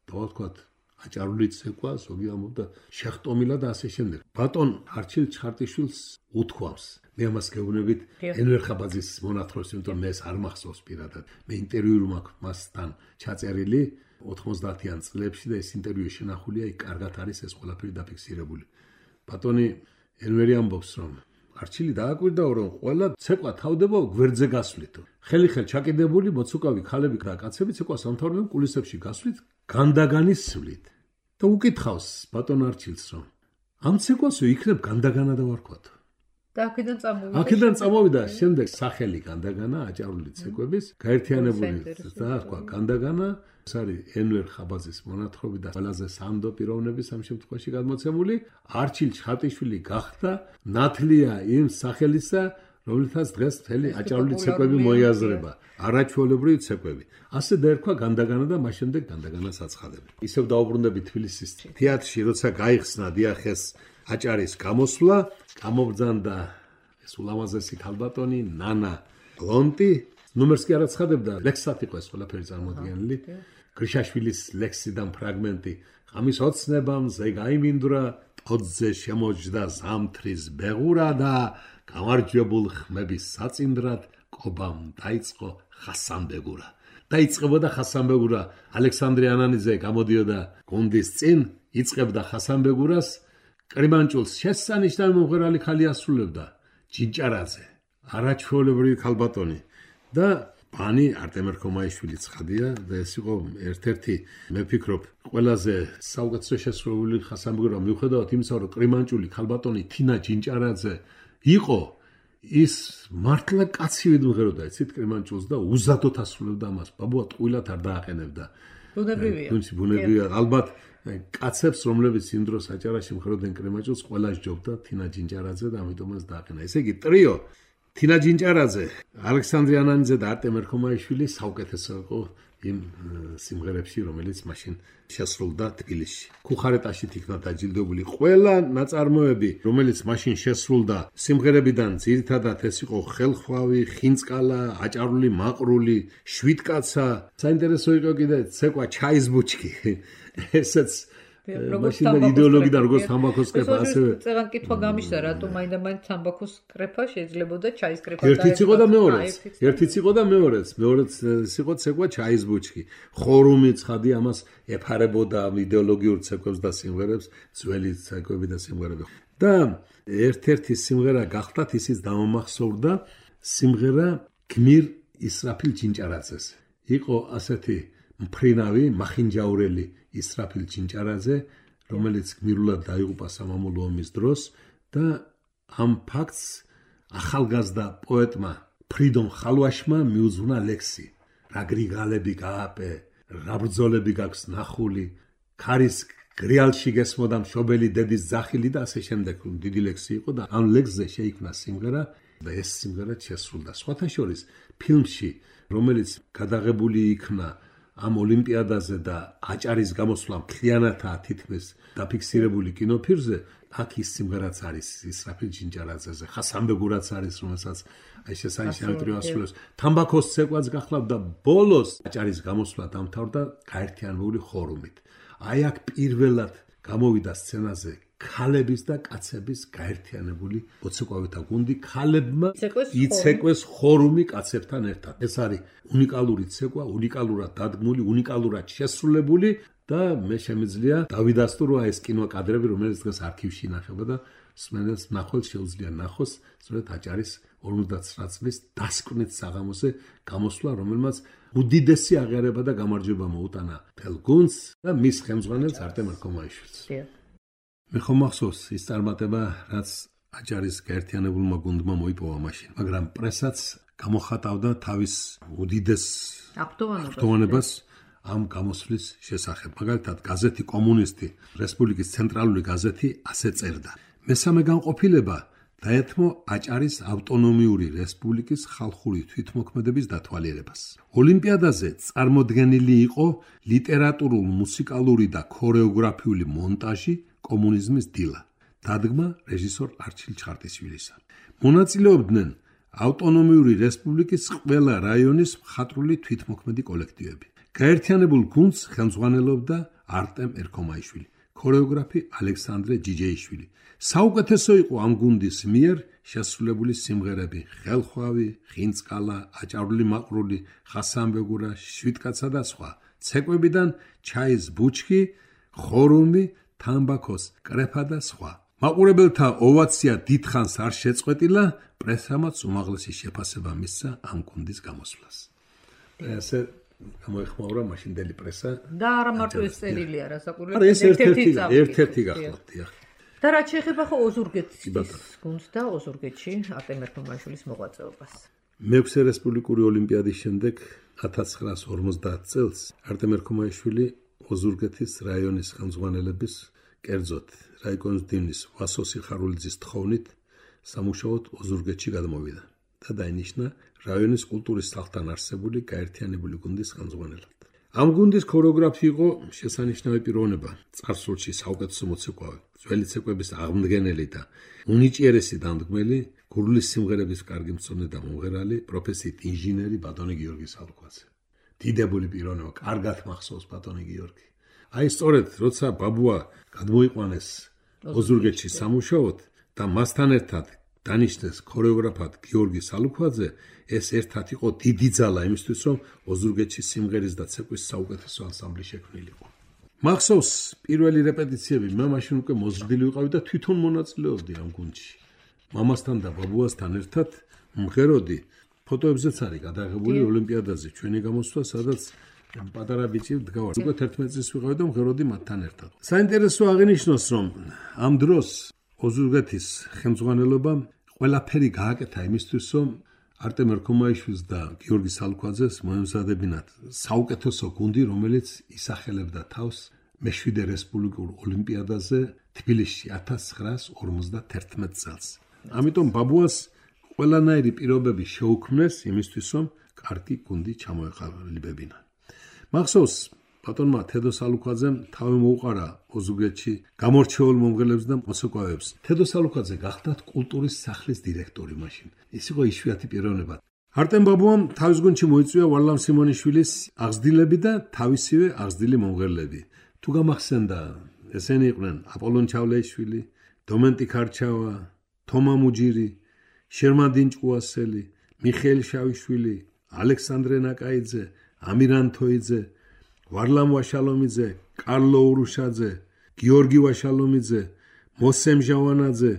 დავარქვათ აჭარული ცეკვა, ზოგი ამბობდა შეხტომილა და ასე შემდეგ. ბატონ არჩილ ჩხარტიშვილს უთქვამს. მე ამას გეუბნებით ენვერ ხაბაძის მონათხრობს, იმიტომ მე ეს არ მახსოვს პირადად. მე ინტერვიუ მაქვს მასთან ჩაწერილი 90-იან წლებში და ეს ინტერვიუ შენახულია, იქ კარგად არის ეს ყველაფერი დაფიქსირებული. ბატონი ენვერი ამბობს, რომ არჩილი დააკვირდაო, რომ ყველა ცეკვა თავდება გვერდზე გასვლით. ხელი-ხელ ჩაკიდებული მოცუկავი ქალები და კაცები ცეკვას ამთავრებენ კულისებში გასვლით, განდაგანის სვლით. და უკითხავს ბატონ არჩილს, რომ ამ ცეკვასო იქნებ განდაგანა დავარქვათ. და აქედან წამოვიდა შემდეგ სახელი განდაგანა აჭარული ცეკვების გაერთიანებული და თქვა განდაგანა. ეს არის ენვერ ხაბაძის მონათხრობი და ყველაზე სანდო პიროვნების ამ შემთხვევაში გადმოცემული. არჩილ ჩხარტიშვილი გახდა ნათლია იმ სახელისა, რომლითაც დღეს მთელი აჭარული ცეკვები მოიაზრება, არაჩვეულებრივი ცეკვები. ასე დაერქვა განდაგანა და მას შემდეგ განდაგანას აცხადებს. ისევ დაუბრუნდები თბილისის თეატრში, როცა გაიხსნა დიახეს აჭარის გამოსვლა, გამობრძანდა ეს ულამაზესი ქალბატონი ნანა ლონტი. ნუმერს კი არ აცხადებდა, ლექსად იყო ეს ყველაფერი წარმოდგენილი. გრიშაშვილის ლექსიდან ფრაგმენტი. ღამის ოცნებამზე გაიმინდვრა, ტოძზე შემოჯდა ზამთრის ბეღურა და გამარჯვებულ ხმების საწინდრად კობამ დაიწყო ხასანბეგურა. დაიწყებოდა ხასანბეგურა. ალექსანდრე ანანიძე გამოდიოდა გუნდის წინ, იწყებდა ხასანბეგურას. კრიმანჭულს შესანიშნავი მომღერალი ხალი ასრულებდა ჯინჭარაძე, არაჩვეულებრივი ქალბატონი და ბანი არტემ ერქომაიშვილი ცხადია და ეს იყო ერთ-ერთი მე ვფიქრობ ყველაზე საუკეთესო შესრულებული ხასანბეგურა მიუხედავად იმისა, რომ კრიმანჭული ქალბატონი თინა ჯინჭარაძე იყო, ის მართლა კაცივით მღეროდა იცით კრიმანჭულს და უზადოდ ასრულებდა ამას. ბაბუა ტყუილად არ დააყენებდა. ბუნებრივია. ალბათ კაცებს, რომლებიც იმ დროს აჭარაში მღეროდნენ კრიმანჭულს, ყველა სჯობდა თინა ჯინჭარაძე და ამიტომაც დააყენა. ესე იგი ტრიო თინა ჯინჭარაძე, ალექსანდრე ანანიძე და არტემ ერქომაიშვილი საუკეთესო იყო იმ სიმღერებში, რომელიც მაშინ შესრულდა თბილისში. ქუხარეტაში იქნა დაჯილდოებული ყველა ნაწარმოები, რომელიც მაშინ შესრულდა სიმღერებიდან ძირითადად ეს იყო ხელხვავი, ხინწყალა, აჭარული მაყრული, შვიდკაცა. საინტერესო იყო კიდე ცეკვა ჩაის ბუჩქი. ესეც მაშინ იდეოლოგიდან როგორც თამბაქოს კრეფა ასევე წეგან კითხვა გამიშდა, რატომ მაინდა-მაინც თამბაქოს კრეფა შეიძლება და ჩაის კრეფა ერთიც იყო და მეორეც. ერთიც იყო და მეორეც იყო ცეკვა ჩაის ბუჩქი. ხორუმი ცხადი ამას ეფარებოდა იდეოლოგიურ ცეკვებს და სიმღერებს, ძველი ცეკვები და სიმღერები. და ერთ-ერთი სიმღერა გახლდათ ისიც დამამახსოვრდა სიმღერა გმირ ისრაფილ ჯინჭარაძეს. იყო ასეთი მფრინავი, მახინჯაურელი ისრაფილ ჯინჭარაძე, რომელიც გმირულად დაიღუპა სამამულო ომის დროს და ამ ფაქტს ახალგაზრდა პოეტმა ფრიდონ ხალვაშმა მიუძღვნა ლექსი. რა გრიგალები გააპე, რა ბრძოლები გაქვს ნახული, ქარის გრიალში გესმოდა მშობელი დედის ძახილი და ასე შემდეგ. დიდი ლექსი იყო და ამ ლექსზე შეიქმნა სიმღერა და ეს სიმღერა შესრულდა. სხვათა შორის ფილმში, რომელიც გადაღებული იქნა ამ ოლიმპიადაზე და აჭარის გამოსვლა მთლიანადაა თითქმის დაფიქსირებული კინოფილმზე, აქ ის სიმღერაც არის ისრაფილ ჯინჯარაძეზე, ხასანბეგურაც არის, რომელსაც აი შესანიშნავი ტრიო ასრულებს. თამბაქოს ცეკვაც გახლავთ და ბოლოს აჭარის გამოსვლა დამთავრდა გაერთიანებული ხორუმით. აი აქ პირველად გამოვიდა სცენაზე ქალების და კაცების გაერთიანებული მოცეკვავეთა გუნდი, ქალებმა იცეკვეს ხორუმი კაცებთან ერთად. ეს არის უნიკალური ცეკვა, უნიკალურად დადგმული, უნიკალურად შესრულებული და მე შემიძლია დავიდასტურო ეს კინოკადრები, რომელიც დღეს არქივში ინახება და მსმენელს ნახოს შეუძლია ნახოს სწორედ აჭარის 59 წლის დასკვნით საღამოზე გამოსვლა, რომელმაც უდიდესი აღიარება და გამარჯვება მოუტანა მთელ გუნდს და მის ხელმძღვანელს არტემ ერქომაიშვილს. მე ხომ მახსოვს ის წარმატება, რაც აჭარის გაერთიანებულმა გუნდმა მოიპოვა მაშინ, მაგრამ პრესაც გამოხატავდა თავის უდიდეს აღფრთოვანებას ამ გამოსვლის შესახებ. მაგალითად, გაზეთი კომუნისტი, რესპუბლიკის ცენტრალური გაზეთი ასე წერდა: მესამე განყოფილება დაეთმო აჭარის ავტონომიური რესპუბლიკის ხალხური თვითმოქმედების დათვალიერებას. ოლიმპიადაზე წარმოდგენილი იყო ლიტერატურულ, მუსიკალური და ქორეოგრაფიული მონტაჟი კომუნიზმის დილა, დადგმა რეჟისორ არჩილ ჩხარტიშვილისა. მონაწილეობდნენ ავტონომიური რესპუბლიკის ყველა რაიონის მხატვრული თვითმოქმედი კოლექტივები. გაერთიანებულ გუნდს ხელმძღვანელობდა არტემ ერქომაიშვილი, ქორეოგრაფი ალექსანდრე ჯიჯეიშვილი. საუკეთესო იყო ამ გუნდის მიერ შესრულებული სიმღერები: ხელხვავი, ხინწყალა, აჭარული მაყრული, ხასანბეგურა, შვიდკაცა და სხვა. ცეკვებიდან ჩაის ბუჩქი, ხორუმი, თამბაქოს კრეფა და სხვა. მაყურებელთა ოვაცია დიდხანს არ შეწყვეტილა, პრესამაც უმაღლესი შეფასება მისცა ამ გუნდის გამოსვლას. ესე გამოეხმაურა მაშინდელი პრესა და არა მარტო ეს წერილია, რასაკვირველია. არა, ეს ერთ-ერთი გახლავთ. და რაც შეეხება ხო ოზურგეთის გუნდს და ოზურგეთში არტემ ერქომაიშვილის მოღვაწეობას. მეექვსე რესპუბლიკური ოლიმპიადის შემდეგ 1950 წელს არტემ ერქომაიშვილი ოზურგეთის რაიონის ხელმძღვანელების, კერძოდ რაიკონის დივნის ვასო სიხარულიძის თხოვნით სამუშაოდ ოზურგეთში გადმოვიდა და დაინიშნა რაიონის კულტურის სახლთან არსებული გაერთიანებული გუნდის ხელმძღვანელად. ამ გუნდის ქორეოგრაფი იყო შესანიშნავი პიროვნება, წარსულში საუკეთესო მოცეკვავე, ძველი ცეკვების აღმდგენელი და უნიჭიერესი დამდგმელი, გურლის სიმღერების კარგი მცოდნე და მომღერალი, პროფესიით ინჟინერი ბატონი გიორგი სალუქვაძე. დიდებული პიროვნება, კარგად მახსოვს ბატონი გიორგი. აი სწორედ როცა ბაბუა გადმოიყვანეს ოზურგეთში სამუშაოდ და მასთან ერთად დანიშნეს ქორეოგრაფად გიორგი სალუქვაძე, ეს ერთად იყო დიდი ძალა იმისთვის, რომ ოზურგეთში სიმღერის და ცეკვის საუკეთესო ანსამბლი შექმნილიყო. მახსოვს პირველი რეპეტიციები, მე მაშინ უკვე მოზრდილი ვიყავი და თვითონ მონაწილეობდი ამ გუნდში. მამასთან და ბაბუასთან ერთად მღეროდი. ფოტოებზეც არის გადაღებული ოლიმპიადაზე ჩვენი გამოსვლა, სადაც პატარა ბიჭი დგავარ. უკვე 11 წლის ვიყავი და მღეროდი მათთან ერთად. საინტერესო აღინიშნოს, რომ ამ დროს ოზურგეთის ხელმძღვანელობამ ყველაფერი გააკეთა იმისთვის, რომ არტემ ერქომაიშვილს და გიორგი სალუქვაძეს მოემზადებინათ საუკეთესო გუნდი, რომელიც ისახელებდა თავს მე-7 რესპუბლიკურ ოლიმპიადაზე თბილისში 1951 წელს. ამიტომ ბაბუას ყველანაირი პირობები შეუქმნეს იმისთვის, რომ კარგი გუნდი ჩამოეყალიბებინა. მახსოვს ბატონმა თედო სალუქვაძემ თავი მოუყარა ოზურგეთში გამორჩეულ მომღერლებს და მოცეკვავებს. თედო სალუქვაძე გახდათ კულტურის სახლის დირექტორი მაშინ. ის იყო იშვიათი პიროვნება. არტემ ბაბუამ თავის გუნდში მოიწვია ვარლამ სიმონიშვილის აღზრდილები და თავისივე აღზრდილი მომღერლები. თუ გამახსენდა, ესენი იყვნენ აპოლონ ჩავლეიშვილი, დომენტი ქარჩავა, თომა მუჯირი, შერმანდინ ჭკუასელი, მიხეილ შავიშვილი, ალექსანდრე ნაკაიძე, ამირან თოიძე, ვარლამ ვაშალომიძე, კარლო ურუშაძე, გიორგი ვაშალომიძე, მოსემ ჟავანაძე,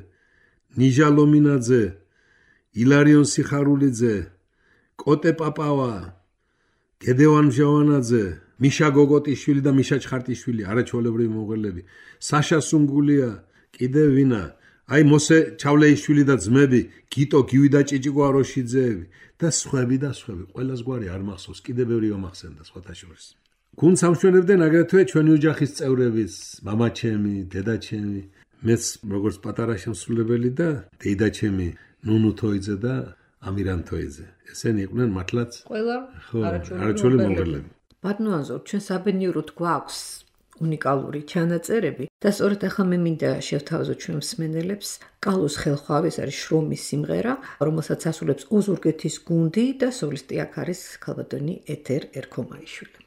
ნიჟა ლომინაძე, ილარიონ სიხარულიძე, კოტე პაპავა, გედევან ჟავანაძე, მიშა გოგოტიშვილი და მიშა ჩხარტიშვილი, არაჩვეულებრივი მომღერლები, საშა სუნგულია, კიდევ ვინა, აი მოსე ჩავლეიშვილი და ძმები, გიტო გივი და ჭიჭიკო აროშიძეები და სხვები და სხვები. ყველას გვარი არ მახსოვს, კიდევ ბევრი გამახსენდა სხვათა შორის. გუნდს ამშვენებდნენ აგრეთვე ჩვენი ოჯახის წევრების, მამაჩემი, დედაჩემი, მეც როგორც პატარა შემსრულებელი და დედაჩემი ნუნუ თოიძე და ამირან თოიძე. ესენი იყვნენ მართლაც ყველა არაჩვეული მომღერლები. ბატონო ანზორ, ჩვენ საბედნიეროდ გვაქვს უნიკალური ჩანაწერები და სწორედ ახლა მე მინდა შევთავაზო ჩვენ მსმენელებს კალოს ხელხვავი, ეს არის შრომის სიმღერა, რომელსაც ასრულებს ოზურგეთის გუნდი და სოლისტი აქ არის ქალბატონი ეთერ ერქომაიშვილი.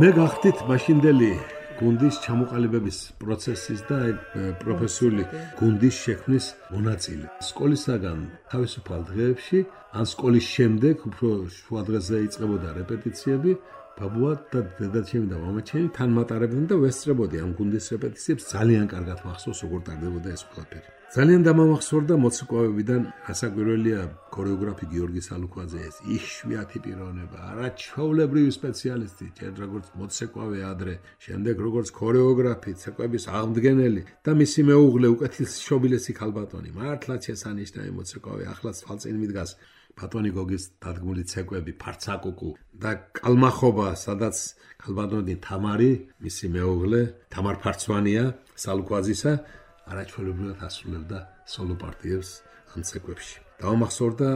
მე გახდით მაშინდელი გუნდის ჩამოყალიბების პროცესის და პროფესიული გუნდის შექმნის მონაწილე. სკოლისაგან თავისუფალ დღეებში, ან სკოლის შემდეგ უფრო შუა დღეზე იწყებოდა რეპეტიციები, ბაბუა და დედაჩემი და მამაჩემი თან მატარებდნენ და ვესწრებოდი ამ გუნდის რეპეტიციებს. ძალიან კარგად მახსოვს, როგორ ტარდებოდა ეს ყველაფერი. ძალიან დამამახსოვრდა მოცეკვავებიდან ასაკვირველია ქორეოგრაფი გიორგი სალუქვაძე, ეს იშვიათი პიროვნება, არაჩვეულებრივი სპეციალისტი, ჯერ როგორც მოცეკვავე ადრე, შემდეგ როგორც ქორეოგრაფი, ცეკვების აღმდგენელი და მისი მეუღლე უკეთილშობილესი ქალბატონი. მართლაც შესანიშნავი მოცეკვავე, ახლაც თვალწინ მიდგას ბატონი გოგის დადგმული ცეკვები, ფარცაკუკუ და კალმახობა, სადაც ქალბატონი თამარი, მისი მეუღლე, თამარ ფარცვანია, სალუქვაძისა არაჩვეულებრივად ასრულებდა სოლო პარტიებს ამ ცეკვებში. დავამახსოვრდა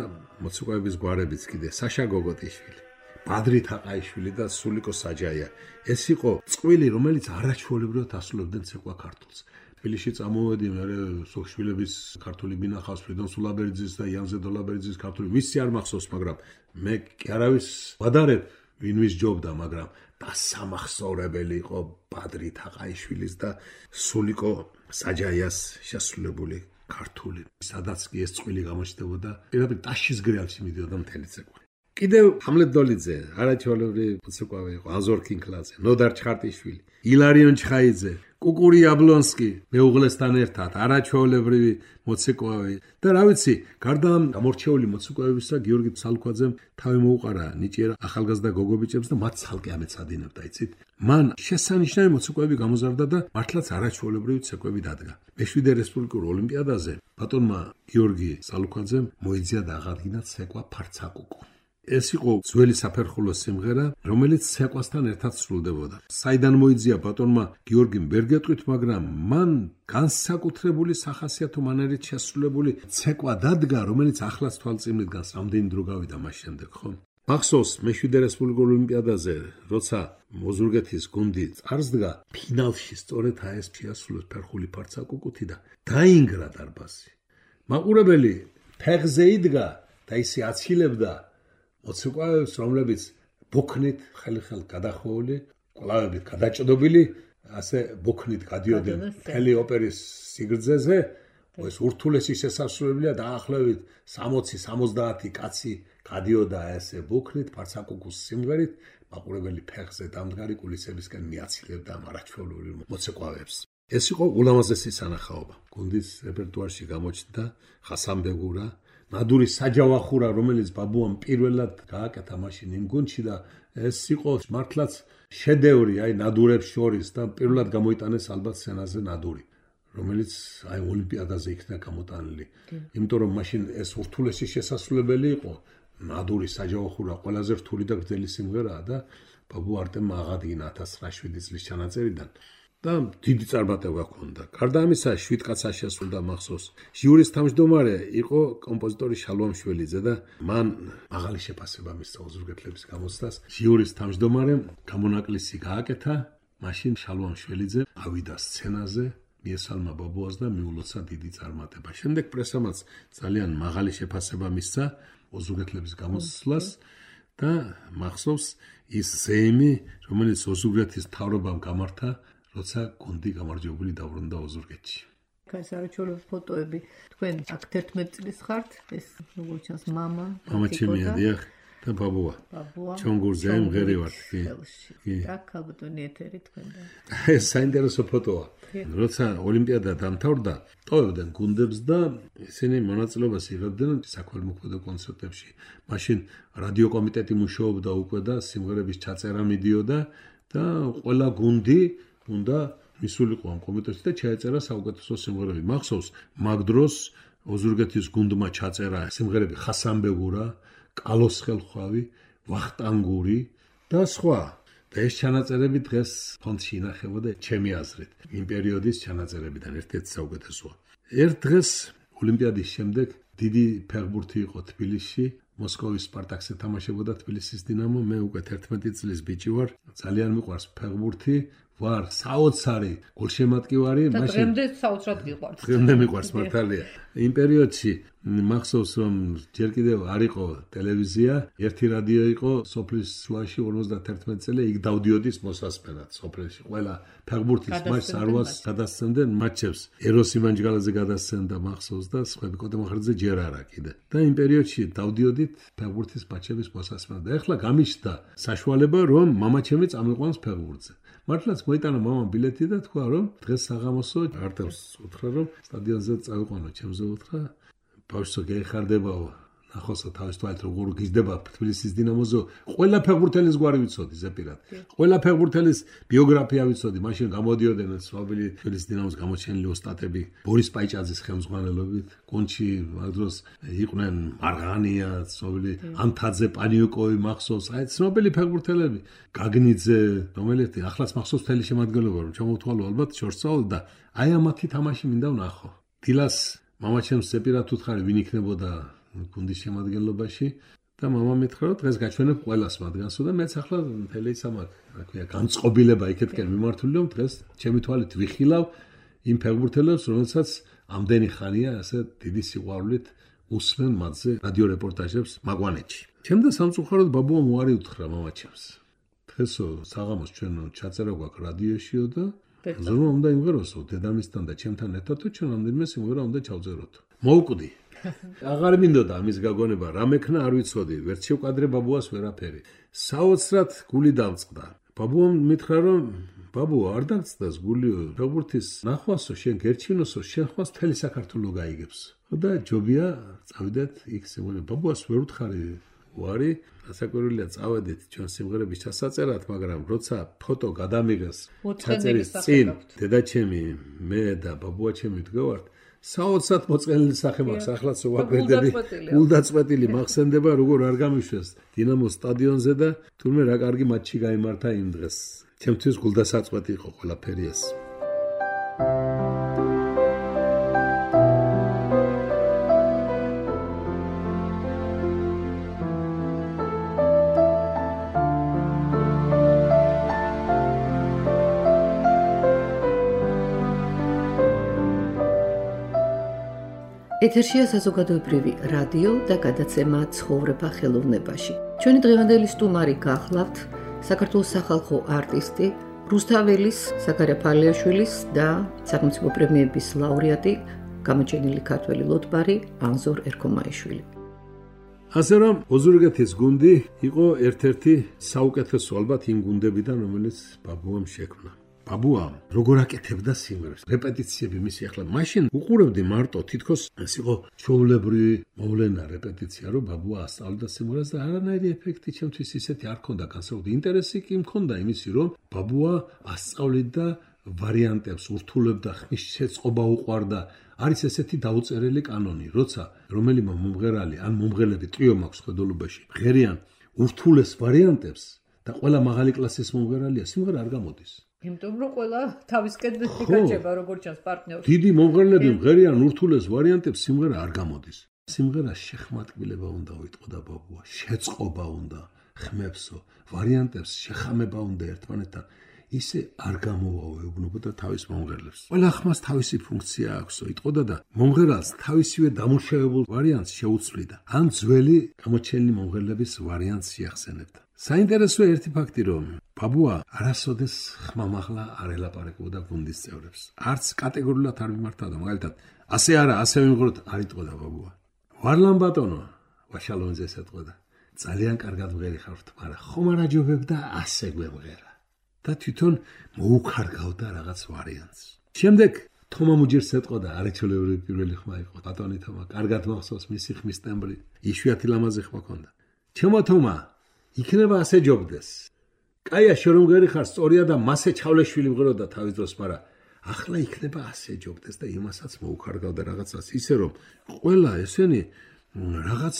მოცეკვების გვარებიც კიდე საშა გოგოტიშვილი, ბადრი თაყაიშვილი და სულიკო საჯაია. ეს იყო წყვილი, რომელიც არაჩვეულებრივად ასრულებდნენ ცეკვა ქართულს. თბილისში წამოვედი, მე სოხშვილების ქართული ბინახავს, ფრიდონ სულაბერძის და იანზე დოლაბერძის ქართული, ვისი არ მახსოვს, მაგრამ მე კი არავის ვადარებ, ვინ ვის ჯობდა, მაგრამ დასამახსოვრებელი იყო ბადრი თაყაიშვილის და სულიკო საჯაიას შესრულებული ქართული. სადაც კი ეს წყვილი გამოჩნდებოდა, პირდაპირ ტაშის გრეალში მიდიოდა მთელი ცეკვა. კიდევ ჰამლეტ დოლიძე, არაჩვეულებრივი მოცეკვავე იყო, ანზორ კინკლაძე, ნოდარ ჩხარტიშვილი, ილარიონ ჩხაიძე, კუკური აბლონსკი მეუღლესთან ერთად, არაჩვეულებრივი მოცეკვავე და რა ვიცი, გარდა ამ გამორჩეული მოცეკვავებისა, გიორგი სალუქვაძემ თავი მოუყარა ნიჭიერ ახალგაზრდა გოგობიჭებს და მათ ცალკე ამეცადინებდა, იცით? მან შესანიშნავი მოცეკვავები გამოზარდა და მართლაც არაჩვეულებრივი ცეკვები დადგა. მე-7 რესპუბლიკურ ოლიმპიადაზე ბატონმა გიორგი სალუქვაძემ მოიძია და აღადგინა ცეკვა ფარცაკუკუ. ეს იყო ძველი საფერხულო სიმღერა, რომელიც ცეკვასთან ერთად სრულდებოდა. საიდან მოიძია ბატონმა გიორგიმ ვერ გეტყვით, მაგრამ მან განსაკუთრებული სახასიათო მანერით შესრულებული ცეკვა დადგა, რომელიც ახლაც თვალწინ მიდგას, რამდენი დრო გავიდა მას შემდეგ, ხო? მახსოვს მე-7 რესპუბლიკურ ოლიმპიადაზე, როცა ოზურგეთის გუნდი წარსდგა, ფინალში სწორედ ეს შეასრულეს ფერხული ფარცაკუკუთი და დაინგრა დარბაზი. მაყურებელი ფეხზე იდგა და ისე აცილებდა მოცეკვავებს, რომლებიც ბოქნით ხელი-ხელ გადახვეული, კვლავებით გადაჭდობილი, ასე ბოქნით გადიოდნენ მთელი ოპერის სიგრძეზე, ეს ურთულესი შესასრულებელია დაახლოებით 60-70 კაცი გადიოდა ესე ბოქნით, ფარცაკუკუს სიმღერით, მაყურებელი ფეხზე დამდგარი კულისებისკენ მიაცილებდა ამ არაჩვეულებრივ მოცეკვავებს. ეს იყო ულამაზესი სანახაობა. გუნდის რეპერტუარში გამოჩნდა ხასანბეგურა, ნადური საჯავახურა, რომელიც ბაბუამ პირველად გააკეთა მაშინ იმ გუნდში და ეს იყო მართლაც შედევრი, აი ნადურებს შორის და პირველად გამოიტანეს ალბათ სცენაზე ნადური, რომელიც აი ოლიმპიადაზე იქნა გამოტანილი. იმიტომ რომ მაშინ ეს ურთულესი შესასრულებელი იყო, ნადური საჯავახურა ყველაზე რთული და გრძელი სიმღერაა და ბაბუ არტემმა აღადგინა 1907 წლის ჩანაწერიდან. და დიდი წარმატება ჰქონდა. გარდა ამისა, 7 კაცს შესრულდა მახსოვს. ჟიურის თავმჯდომარე იყო კომპოზიტორი შალვამ შველიძე და მან მაღალი შეფასება მისცა ოზურგეთლების გამოცდას. ჟიურის თავმჯდომარემ გამონაკლისი გააკეთა, მაშინ შალვამ შველიძე ავიდა სცენაზე, მიესალმა ბაბუას და მიულოცა დიდი წარმატება. შემდეგ პრესამაც ძალიან მაღალი შეფასება მისცა ოზურგეთლების გამოცდას და მახსოვს ის ზეიმი, რომელიც ოზურგეთის მთავრობამ გამართა, როცა გუნდი გამარჯვებული დაბრუნდა ოზურგეთში. ეს არაჩვეულებრივი ფოტოები. თქვენ აქ 11 წლის ხართ, ეს როგორც ჩანს მამა ჩემია, დიახ, და ბაბუა. ჩონგურზე მღერი ვართ, კი. და ქალბატონი ეთერი თქვენ და. ეს საინტერესო ფოტოა. როცა ოლიმპიადა დამთავრდა, ტოვებდნენ გუნდებს და ისინი მონაწილეობას იღებდნენ საქველმოქმედო კონცერტებში. მაშინ რადიო კომიტეტი მუშაობდა უკვე და სიმღერების ჩაწერა მიდიოდა და ყველა გუნდი უნდა მისულიყო ამ კომიტეტში და ჩაეწერა საუკეთესო სიმღერები. მახსოვს, მაგ დროს ოზურგეთის გუნდმა ჩაწერა სიმღერები ხასანბეგურა, კალოს ხელხვავი, ვახტანგური და სხვა. და ეს ჩანაწერები დღეს ფონდში ინახებოდა ჩემი აზრით. იმ პერიოდის ჩანაწერებიდან ერთ-ერთი საუკეთესოა. ერთ დღეს ოლიმპიადის შემდეგ დიდი ფეხბურთი იყო თბილისში. მოსკოვის სპარტაკს ეთამაშებოდა თბილისის დინამო. მე უკვე 11 წლის ბიჭი ვარ. ძალიან მიყვარს ფეხბურთი. ვარ საოცარი გოლშემატკივარი, მაშინ დღემდე საოცრად გიყვარს. დღემდე მიყვარს მართალია. იმ პერიოდში მახსოვს რომ ჯერ კიდევ არ იყო ტელევიზია, ერთი რადიო იყო სოფლის შუაში 51 წელი, იქ დავდიოდის მოსასმენად სოფელში. ყველა ფეხბურთის მატჩს არვას გადასცემდნენ მატჩებს. ეროს იმანჯგალაძე გადასცემდა მახსოვს და სხვები კოტემახარაძე ჯერ არა კიდე. და იმ პერიოდში დავდიოდით ფეხბურთის მატჩების მოსასმენად. და ეხლა გამიშდა საშუალება რომ მამაჩემი წამიყვანს ფეხბურთზე. მართლაც მოიტანა მამამ ბილეთი და თქვა რომ დღეს საღამოსო არტემს უთხრა რომ სტადიონზე წავიყვანო, ჩემზე უთხრა ბავშვო გეიხარდებაო, ნახოსო თავის თვალით როგორ გიზდება თბილისის დინამოზე. ყველა ფეხბურთელის გვარი ვიცოდი ზეპირად. ყველა ფეხბურთელის ბიოგრაფია ვიცოდი. მაშინ გამოდიოდნენ ცნობილი თბილისის დინამოს გამოჩენილი ოსტატები ბორის პაიჭაძის ხელმძღვანელობით. გუნდში მაგ დროს იყვნენ მარღანია, ცნობილი ანთაძე, პანიუკოვი, მახსოვს, აი ცნობილი ფეხბურთელები. გაგნიძე, რომელიც ახლაც მახსოვს თელი შემადგენლობა რომ ჩამოვთვალო ალბათ შორსაულ და აი ამათი თამაში მინდა ვნახო. დილას მამაჩემს ზეპირად უთხარი ვინ იქნებოდა გუნდის შემადგენლობაში და მამა მითხრა რომ დღეს გაჩვენებ ყველას მათგანსო და მეც ახლა მთელი სამაკ, რა ქვია, განწყობილება იქეთკენ მიმართული რომ დღეს ჩემი თვალით ვიხილავ იმ ფეხბურთელებს, რომელსაც ამდენი ხანია ასე დიდი სიყვარულით უსმენ მათზე რადიო რეპორტაჟებს მაგვანეთში. ჩემდა სამწუხაროდ ბაბუამ უარი უთხრა მამაჩემს. დღესო საღამოს ჩვენ ჩაწერა გვაქვს რადიოშიო და ზრუნვა უნდა იმღეროსო დედამისთან და ჩემთან ერთად თუ ჩვენ ამდენიმე სიმღერა უნდა ჩავწეროთ. მოუკვდი. აღარ მინდოდა ამის გაგონება, რა მექნა არ ვიცოდი, ვერც შევკადრე ბაბუას ვერაფერი. საოცრად გული დამწყდა. ბაბუამ მითხრა რომ ბაბუ არ დაგწყდას გულიო, ფეხბურთის ნახვასო, შენ გერჩინოსო, შენ ხვას მთელი საქართველო გაიგებს. და ჯობია წავიდეთ იქ სიმღერა. ბაბუას ვერ უთხარი უარი, ასაკურვილია წავედით ჩვენ სიმღერების ჩასაწერად, მაგრამ როცა ფოტო გადამიღეს ჩაწერის წინ, დედაჩემი, მე და ბაბუაჩემი ვდგავართ, საოცრად მოწყენილი სახე მაქვს, ახლაც ვაკვირდები, გულდაწყვეტილი მახსენდება, როგორ არ გამიშვეს დინამოს სტადიონზე და თურმე რა კარგი მატჩი გაიმართა იმ დღეს. ჩემთვის გულდასაწყვეტი იყო ყველაფერი ეს. ეთერშია საზოგადოებრივი რადიო და გადაცემა ცხოვრება ხელოვნებაში. ჩვენი დღევანდელი სტუმარი გახლავთ საქართველოს სახალხო არტისტი, რუსთაველის საკარია ფალიაშვილის და სახელმწიფო პრემიების ლაურეატი, გამოჩენილი ქართველი ლოტბარი ანზორ ერქომაიშვილი. ასე რომ ოზურგეთის გუნდი იყო ერთ-ერთი საუკეთესო ალბათ იმ გუნდებიდან, რომელიც ბაბუამ შექმნა. ბაბუა როგორ აკეთებდა სიმღერებს, რეპეტიციები მისი ახლა მაშინ უყურებდი მარტო თითქოს ეს იყო ჩვეულებრივი მოვლენა რეპეტიცია, რომ ბაბუა ასწავლიდა სიმღერას და არანაირი ეფექტი ჩემთვის ისეთი არ ქონდა განსაკუთრებით. ინტერესი კი მქონდა იმისი, რომ ბაბუა ასწავლიდა ვარიანტებს, ურთულებდა, ხმის შეწყობა უყვარდა. არის ესეთი დაუწერელი კანონი, როცა რომელიმე მომღერალი ან მომღერლები ტრიო მაქვს ხედულობაში, ღერიან ურთულეს ვარიანტებს და ყველა მაღალი კლასის მომღერალია, სიმღერა არ გამოდის. იმიტომ რომ ყველა თავისკენ იკაჭება როგორც ჩანს პარტნიორს. დიდი მომღერლები მღერიან ურთულეს ვარიანტებს, სიმღერა არ გამოდის. სიმღერას შეხმატკბილება უნდა უიტყოდა ბაბუა, შეწყობა უნდა, ხმებსო, ვარიანტებს შეხამება უნდა ერთმანეთთან. ისე არ გამოუეუბნებოდა თავის მომღერლებს. ყველა ხმას თავისი ფუნქცია აქვს, იტყოდა და მომღერალს თავისივე დამუშავებულ ვარიანტს შეუცვლიდა, ან ძველი გამოჩენილი მომღერლების ვარიანტს შეახსენებდა. საინტერესოა ერთი ფაქტი, რომ ბაბუა არასოდეს ხმამაღლა არ ელაპარაკებოდა გუნდის წევრებს. არც კატეგორიულად არ მიმართავდა, მაგალითად, ასე არა, ასე ვიმღეროთ, არ იტყოდა ბაბუა. ვარლამ ბატონო, ვაშალონძეს ეტყოდა. ძალიან კარგად მღერი ხართ, მაგრამ ხომ არ აჯობებდა ასე გვემღერა. და თვითონ მოუქარგავდა რაღაც ვარიანტს. შემდეგ თომა მუჯერს ეტყოდა, არაჩვეულებრივი პირველი ხმა იყო ბატონი თომა, კარგად მახსოვს მისი ხმის ტემბრი, იშვიათი ლამაზი ხმა ჰქონდა. ჩემო თომა, იქნება ასე ჯობდეს. კაია შენ მღერი ხარ, სწორია და მასე ჩავლეშვილი მღეროდა თავის დროს, მაგრამ ახლა იქნება ასე ჯობდეს და იმასაც მოუქარგავდა რაღაცას, ისე რომ ყველა ესენი რაღაც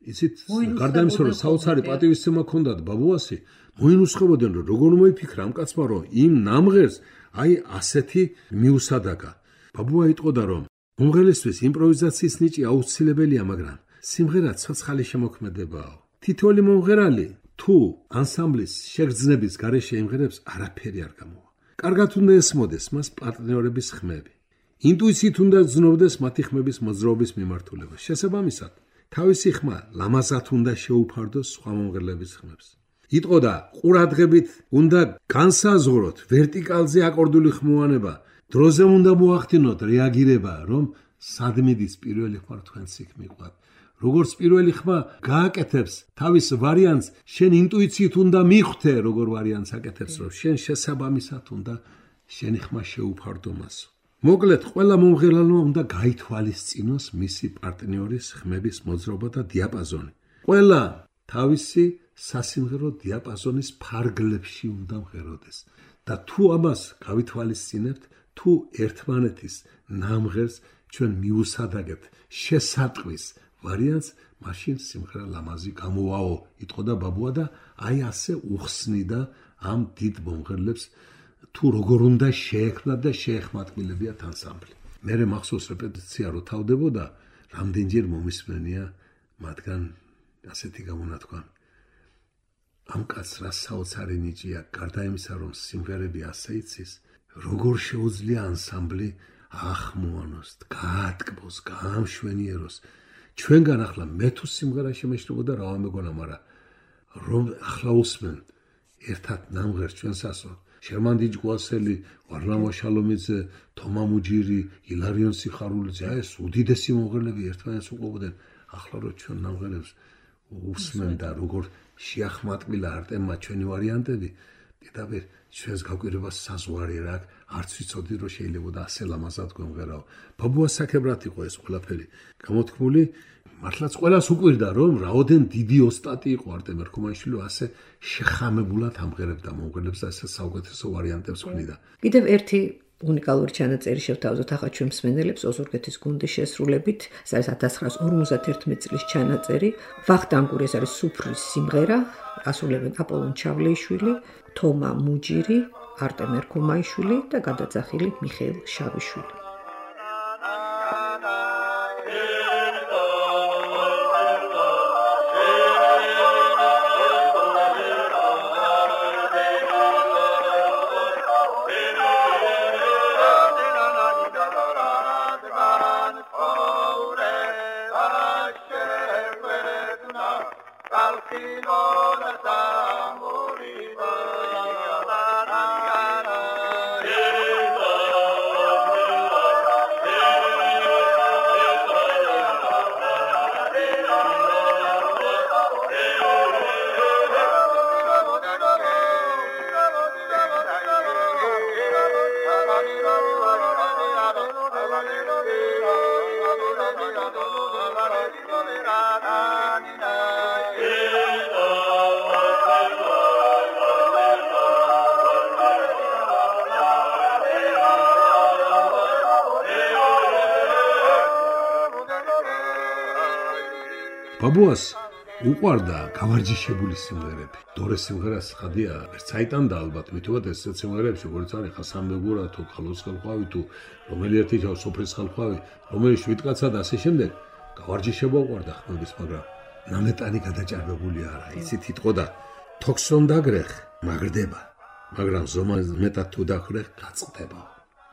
იცით, გარდა იმისა, რომ საოცარი პატივისცემა ჰქონდათ ბაბუასი, მოინუსხებოდნენ, რომ როგორ მოიფიქრა ამ კაცმა, რომ იმ ნამღერს აი ასეთი მიუსადაგა. ბაბუა იტყოდა, რომ მომღერლისთვის იმპროვიზაციის ნიჭი აუცილებელია, მაგრამ სიმღერა ცოცხალი შემოქმედებაა. თითოეული მომღერალი თუ ანსამბლის შეგრძნების გარეშე იმღერებს, არაფერი არ გამოვა. კარგად უნდა ესმოდეს მას პარტნიორების ხმები. ინტუიციით უნდა გრძნობდეს მათი ხმების მოძრაობის მიმართულება. შესაბამისად, თავისი ხმა ლამაზად უნდა შეუფარდოს სხვა მომღერლების ხმებს. იტყოდა, ყურადღებით უნდა განსაზღვროთ ვერტიკალზე აკორდული ხმოვანება, დროზე უნდა მოახდინოთ რეაგირება, რომ სად მიდის პირველი ხმა თქვენს იქ მიყვათ. როგორც პირველი ხმა გააკეთებს თავის ვარიანტს, შენ ინტუიციით უნდა მიხვდე, როგორ ვარიანტს აკეთებს, რომ შენ შესაბამისად უნდა შენი ხმა შეუფარდო მასო. მოკლედ, ყველა მომღერალმა უნდა გაითვალისწინოს მისი პარტნიორის ხმების მოძრაობა და დიაპაზონი. ყველა თავისი სასიმღერო დიაპაზონის ფარგლებში უნდა მღეროდეს. და თუ ამას გავითვალისწინებთ, თუ ერთმანეთის ნამღერს ჩვენ მიუსადაგებთ შესატყვის ვარიანტს, მაშინ სიმღერა ლამაზი გამოვაო, იტყოდა ბაბუა და აი ასე უხსნიდა ამ დიდ მომღერლებს, თუ როგორ უნდა შეექმნათ და შეეხმატკილებიათ ანსამბლი. მერე მახსოვს რეპეტიცია რო თავდებოდა, რამდენჯერ მომისმენია მათგან ასეთი გამონათქვა. ამ კაცს რა საოცარი ნიჭია, გარდა იმისა, რომ სიმღერები ასე იცის, როგორ შეუძლია ანსამბლი ახმოვანოს, გაატკბოს, გაამშვენიეროს. ჩვენგან ახლა მე თუ სიმღერა შემეშლებოდა რა ვამეგონა, მაგრამ რომ ახლა უსმენ ერთად ნამღერს ჩვენსასო, შერმან დიჯგვასელი, ვარლამ ვაშალომიძე, თომა მუჯირი, ილარიონ სიხარულიძე, აი ეს უდიდესი მომღერლები ერთმანეთს უყვებოდნენ. ახლა რო ჩვენ ნამღერებს უსმენ და როგორ შეახმატკილა არტემმა ჩვენი ვარიანტები, პირდაპირ ჩვენს გაკვირვებას საზღვარი რა, არც ვიცოდი რომ შეიძლება ასე ლამაზად გვემღერაო. ბაბუას საქებრად იყო ეს ყველაფერი გამოთქმული, მართლაც ყველას უყვირდა რომ რაოდენ დიდი ოსტატი იყო არტემ ერქომაიშვილი, ასე შეხამებულად ამღერებდა მომღერლებს და ასე საუკეთესო ვარიანტებს ხვდიდა. კიდევ ერთი უნიკალური ჩანაწერი შევთავაზოთ ახლა ჩვენ მსმენელებს ოზურგეთის გუნდის შესრულებით. ეს არის 1951 წლის ჩანაწერი. ვახტანგური, ეს არის სუფრის სიმღერა, ასრულებენ აპოლონ ჩავლეიშვილი, თომა მუჯირი, არტემ ერქომაიშვილი და გადაძახილი მიხეილ შავიშვილი. ბაბუას უყვარდა გავარჯიშებული სიმღერები. დორე სიმღერას ხადია, ერთ საიტანდა ალბათ, მითუმეტ ეს სიმღერებში, როგორც არის ხასამბეგურა თუ ხალოს ხალხავი თუ რომელი ერთი სოფრის ხალხავი, რომელი შვიდკაცა და ასე შემდეგ, გავარჯიშება უყვარდა ხმების, მაგრამ ნამეტანი გადაჭარბებული არა. იცით იტყოდა, თოქსონ დაგრეხ, მაგრდება. მაგრამ ზომა მეტად თუ დახრე გაწყდება.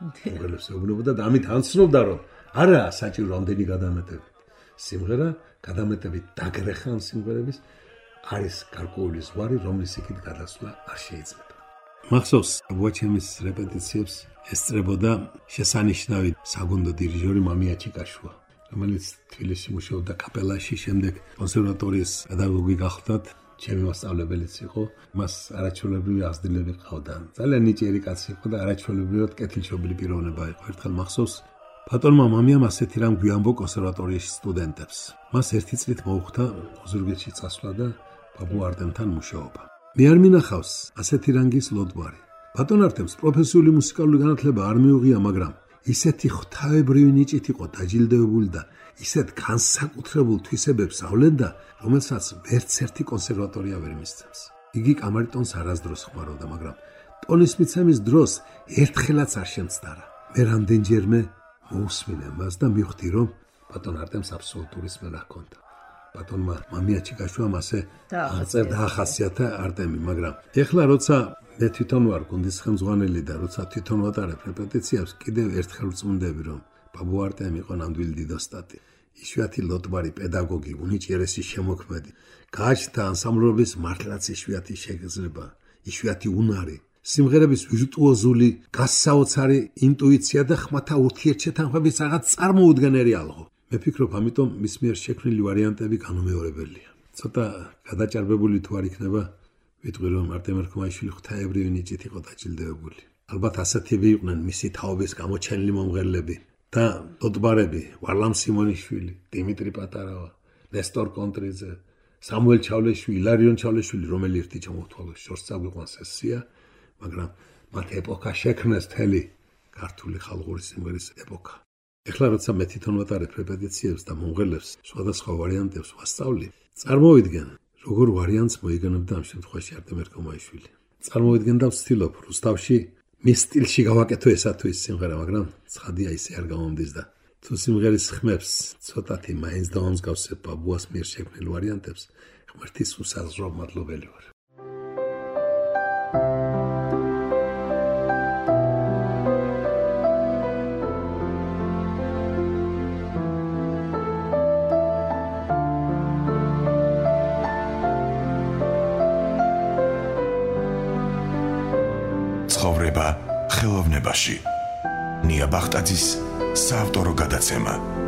უმღერლებს ეუბნებოდა და ამით ანცნობდა რომ არა საჭირო ამდენი გადამეტებით. სიმღერა გადამეტებით დაგრეხან სიმღერების არის გარკვეული ზღვარი, რომლის იქით გადასვლა არ შეიძლება. მახსოვს ვაჩემის რეპეტიციებს ესწრებოდა შესანიშნავი საგუნდო დირიჟორი მამია ჩიკაშუა, რომელიც თბილისში მუშაობდა კაპელაში, შემდეგ კონსერვატორიის პედაგოგი გახლდათ, ჩემი მასწავლებელიც იყო, მას არაჩვეულებრივი აღზრდილები ყავდა. ძალიან ნიჭიერი კაცი იყო და არაჩვეულებრივად კეთილშობილი პიროვნება იყო. ერთხელ მახსოვს ბატონმა მამიამ ასეთი რამ გვიამბო კონსერვატორიის სტუდენტებს. მას ერთი წლით მოუხდა ოზურგეთში წასვლა და ბაბუ არტემთან მუშაობა. მე არ მინახავს ასეთი რანგის ლოდვარი. ბატონ არტემს პროფესიული მუსიკალური განათლება არ მიუღია, მაგრამ ისეთი ღვთაებრივი ნიჭით იყო დაჯილდოებული და ისეთ განსაკუთრებულ თვისებებს ავლენდა, რომელსაც ვერც ერთი კონსერვატორია ვერ მისცემს. იგი კამარიტონს არასდროს ხმარობდა, მაგრამ ტონის მიცემის დროს ერთხელაც არ შემცდარა. მე რამდენჯერმე მოусმინე მას და მივხვდი, რომ ბატონ არტემს აბსოლუტური სმენა ჰქონდა. ბატონმა მამია ჩიკაშუამ ასე აღწერდა ახასიათა არტემი, მაგრამ ეხლა როცა მე თვითონ ვარ გუნდის ხელმძღვანელი და როცა თვითონ ვატარებ რეპეტიციებს, კიდევ ერთხელ ვწმუნდები, რომ ბაბუ არტემი იყო ნამდვილი დიდოსტატი. იშვიათი ლოტბარი პედაგოგი, უნიჭიერესი შემოქმედი, გააჩნდა ანსამბლობის მართლაც იშვიათი შეგრძნება, იშვიათი უნარი, სიმღერების ვირტუოზული, გასაოცარი ინტუიცია და ხმათა ურთიერთშეთანხმების რაღაც წარმოუდგენელი ალღო. მე ფიქრობ, ამიტომ მის მიერ შექმნილი ვარიანტები განუმეორებელია. ცოტა გადაჭარბებული თუ არ იქნება, ვიტყვი რომ არტემ ერქომაიშვილი ღვთაებრივი ნიჭით იყო დაჯილდოებული. ალბათ ასეთები იყვნენ მისი თაობის გამოჩენილი მომღერლები და ლოტბარები, ვარლამ სიმონიშვილი, დიმიტრი პატარავა, ნესტორ კონტრიძე, სამუელ ჩავლეშვილი, ილარიონ ჩავლეშვილი, რომელი ერთი ჩამოვთვალოს შორს წაგვიყვანს ესია, მაგრამ მათ ეპოქა შექმნეს მთელი ქართული ხალხური სიმღერის ეპოქა. ეხლა როცა მე თვითონ ვატარებ რეპეტიციებს და მომღერლებს სხვადასხვა ვარიანტებს ვასწავლი, წარმოვიდგენ, როგორ ვარიანტს მოიგონებდა ამ შემთხვევაში არტემ ერქომაიშვილი. წარმოვიდგენ და ვცდილობ რუსთავში მის სტილში გავაკეთო ესა თუ ის სიმღერა, მაგრამ ცხადია ისე არ გამომდის და თუ სიმღერის ხმებს ცოტათი მაინც დავამსგავსებ ბაბუას მიერ შექმნილ ვარიანტებს, ღმერთის უსაზღრო მადლობელი ვარ. ცხოვრება ხელოვნებაში. ნია ბახტაძის საავტორო გადაცემა.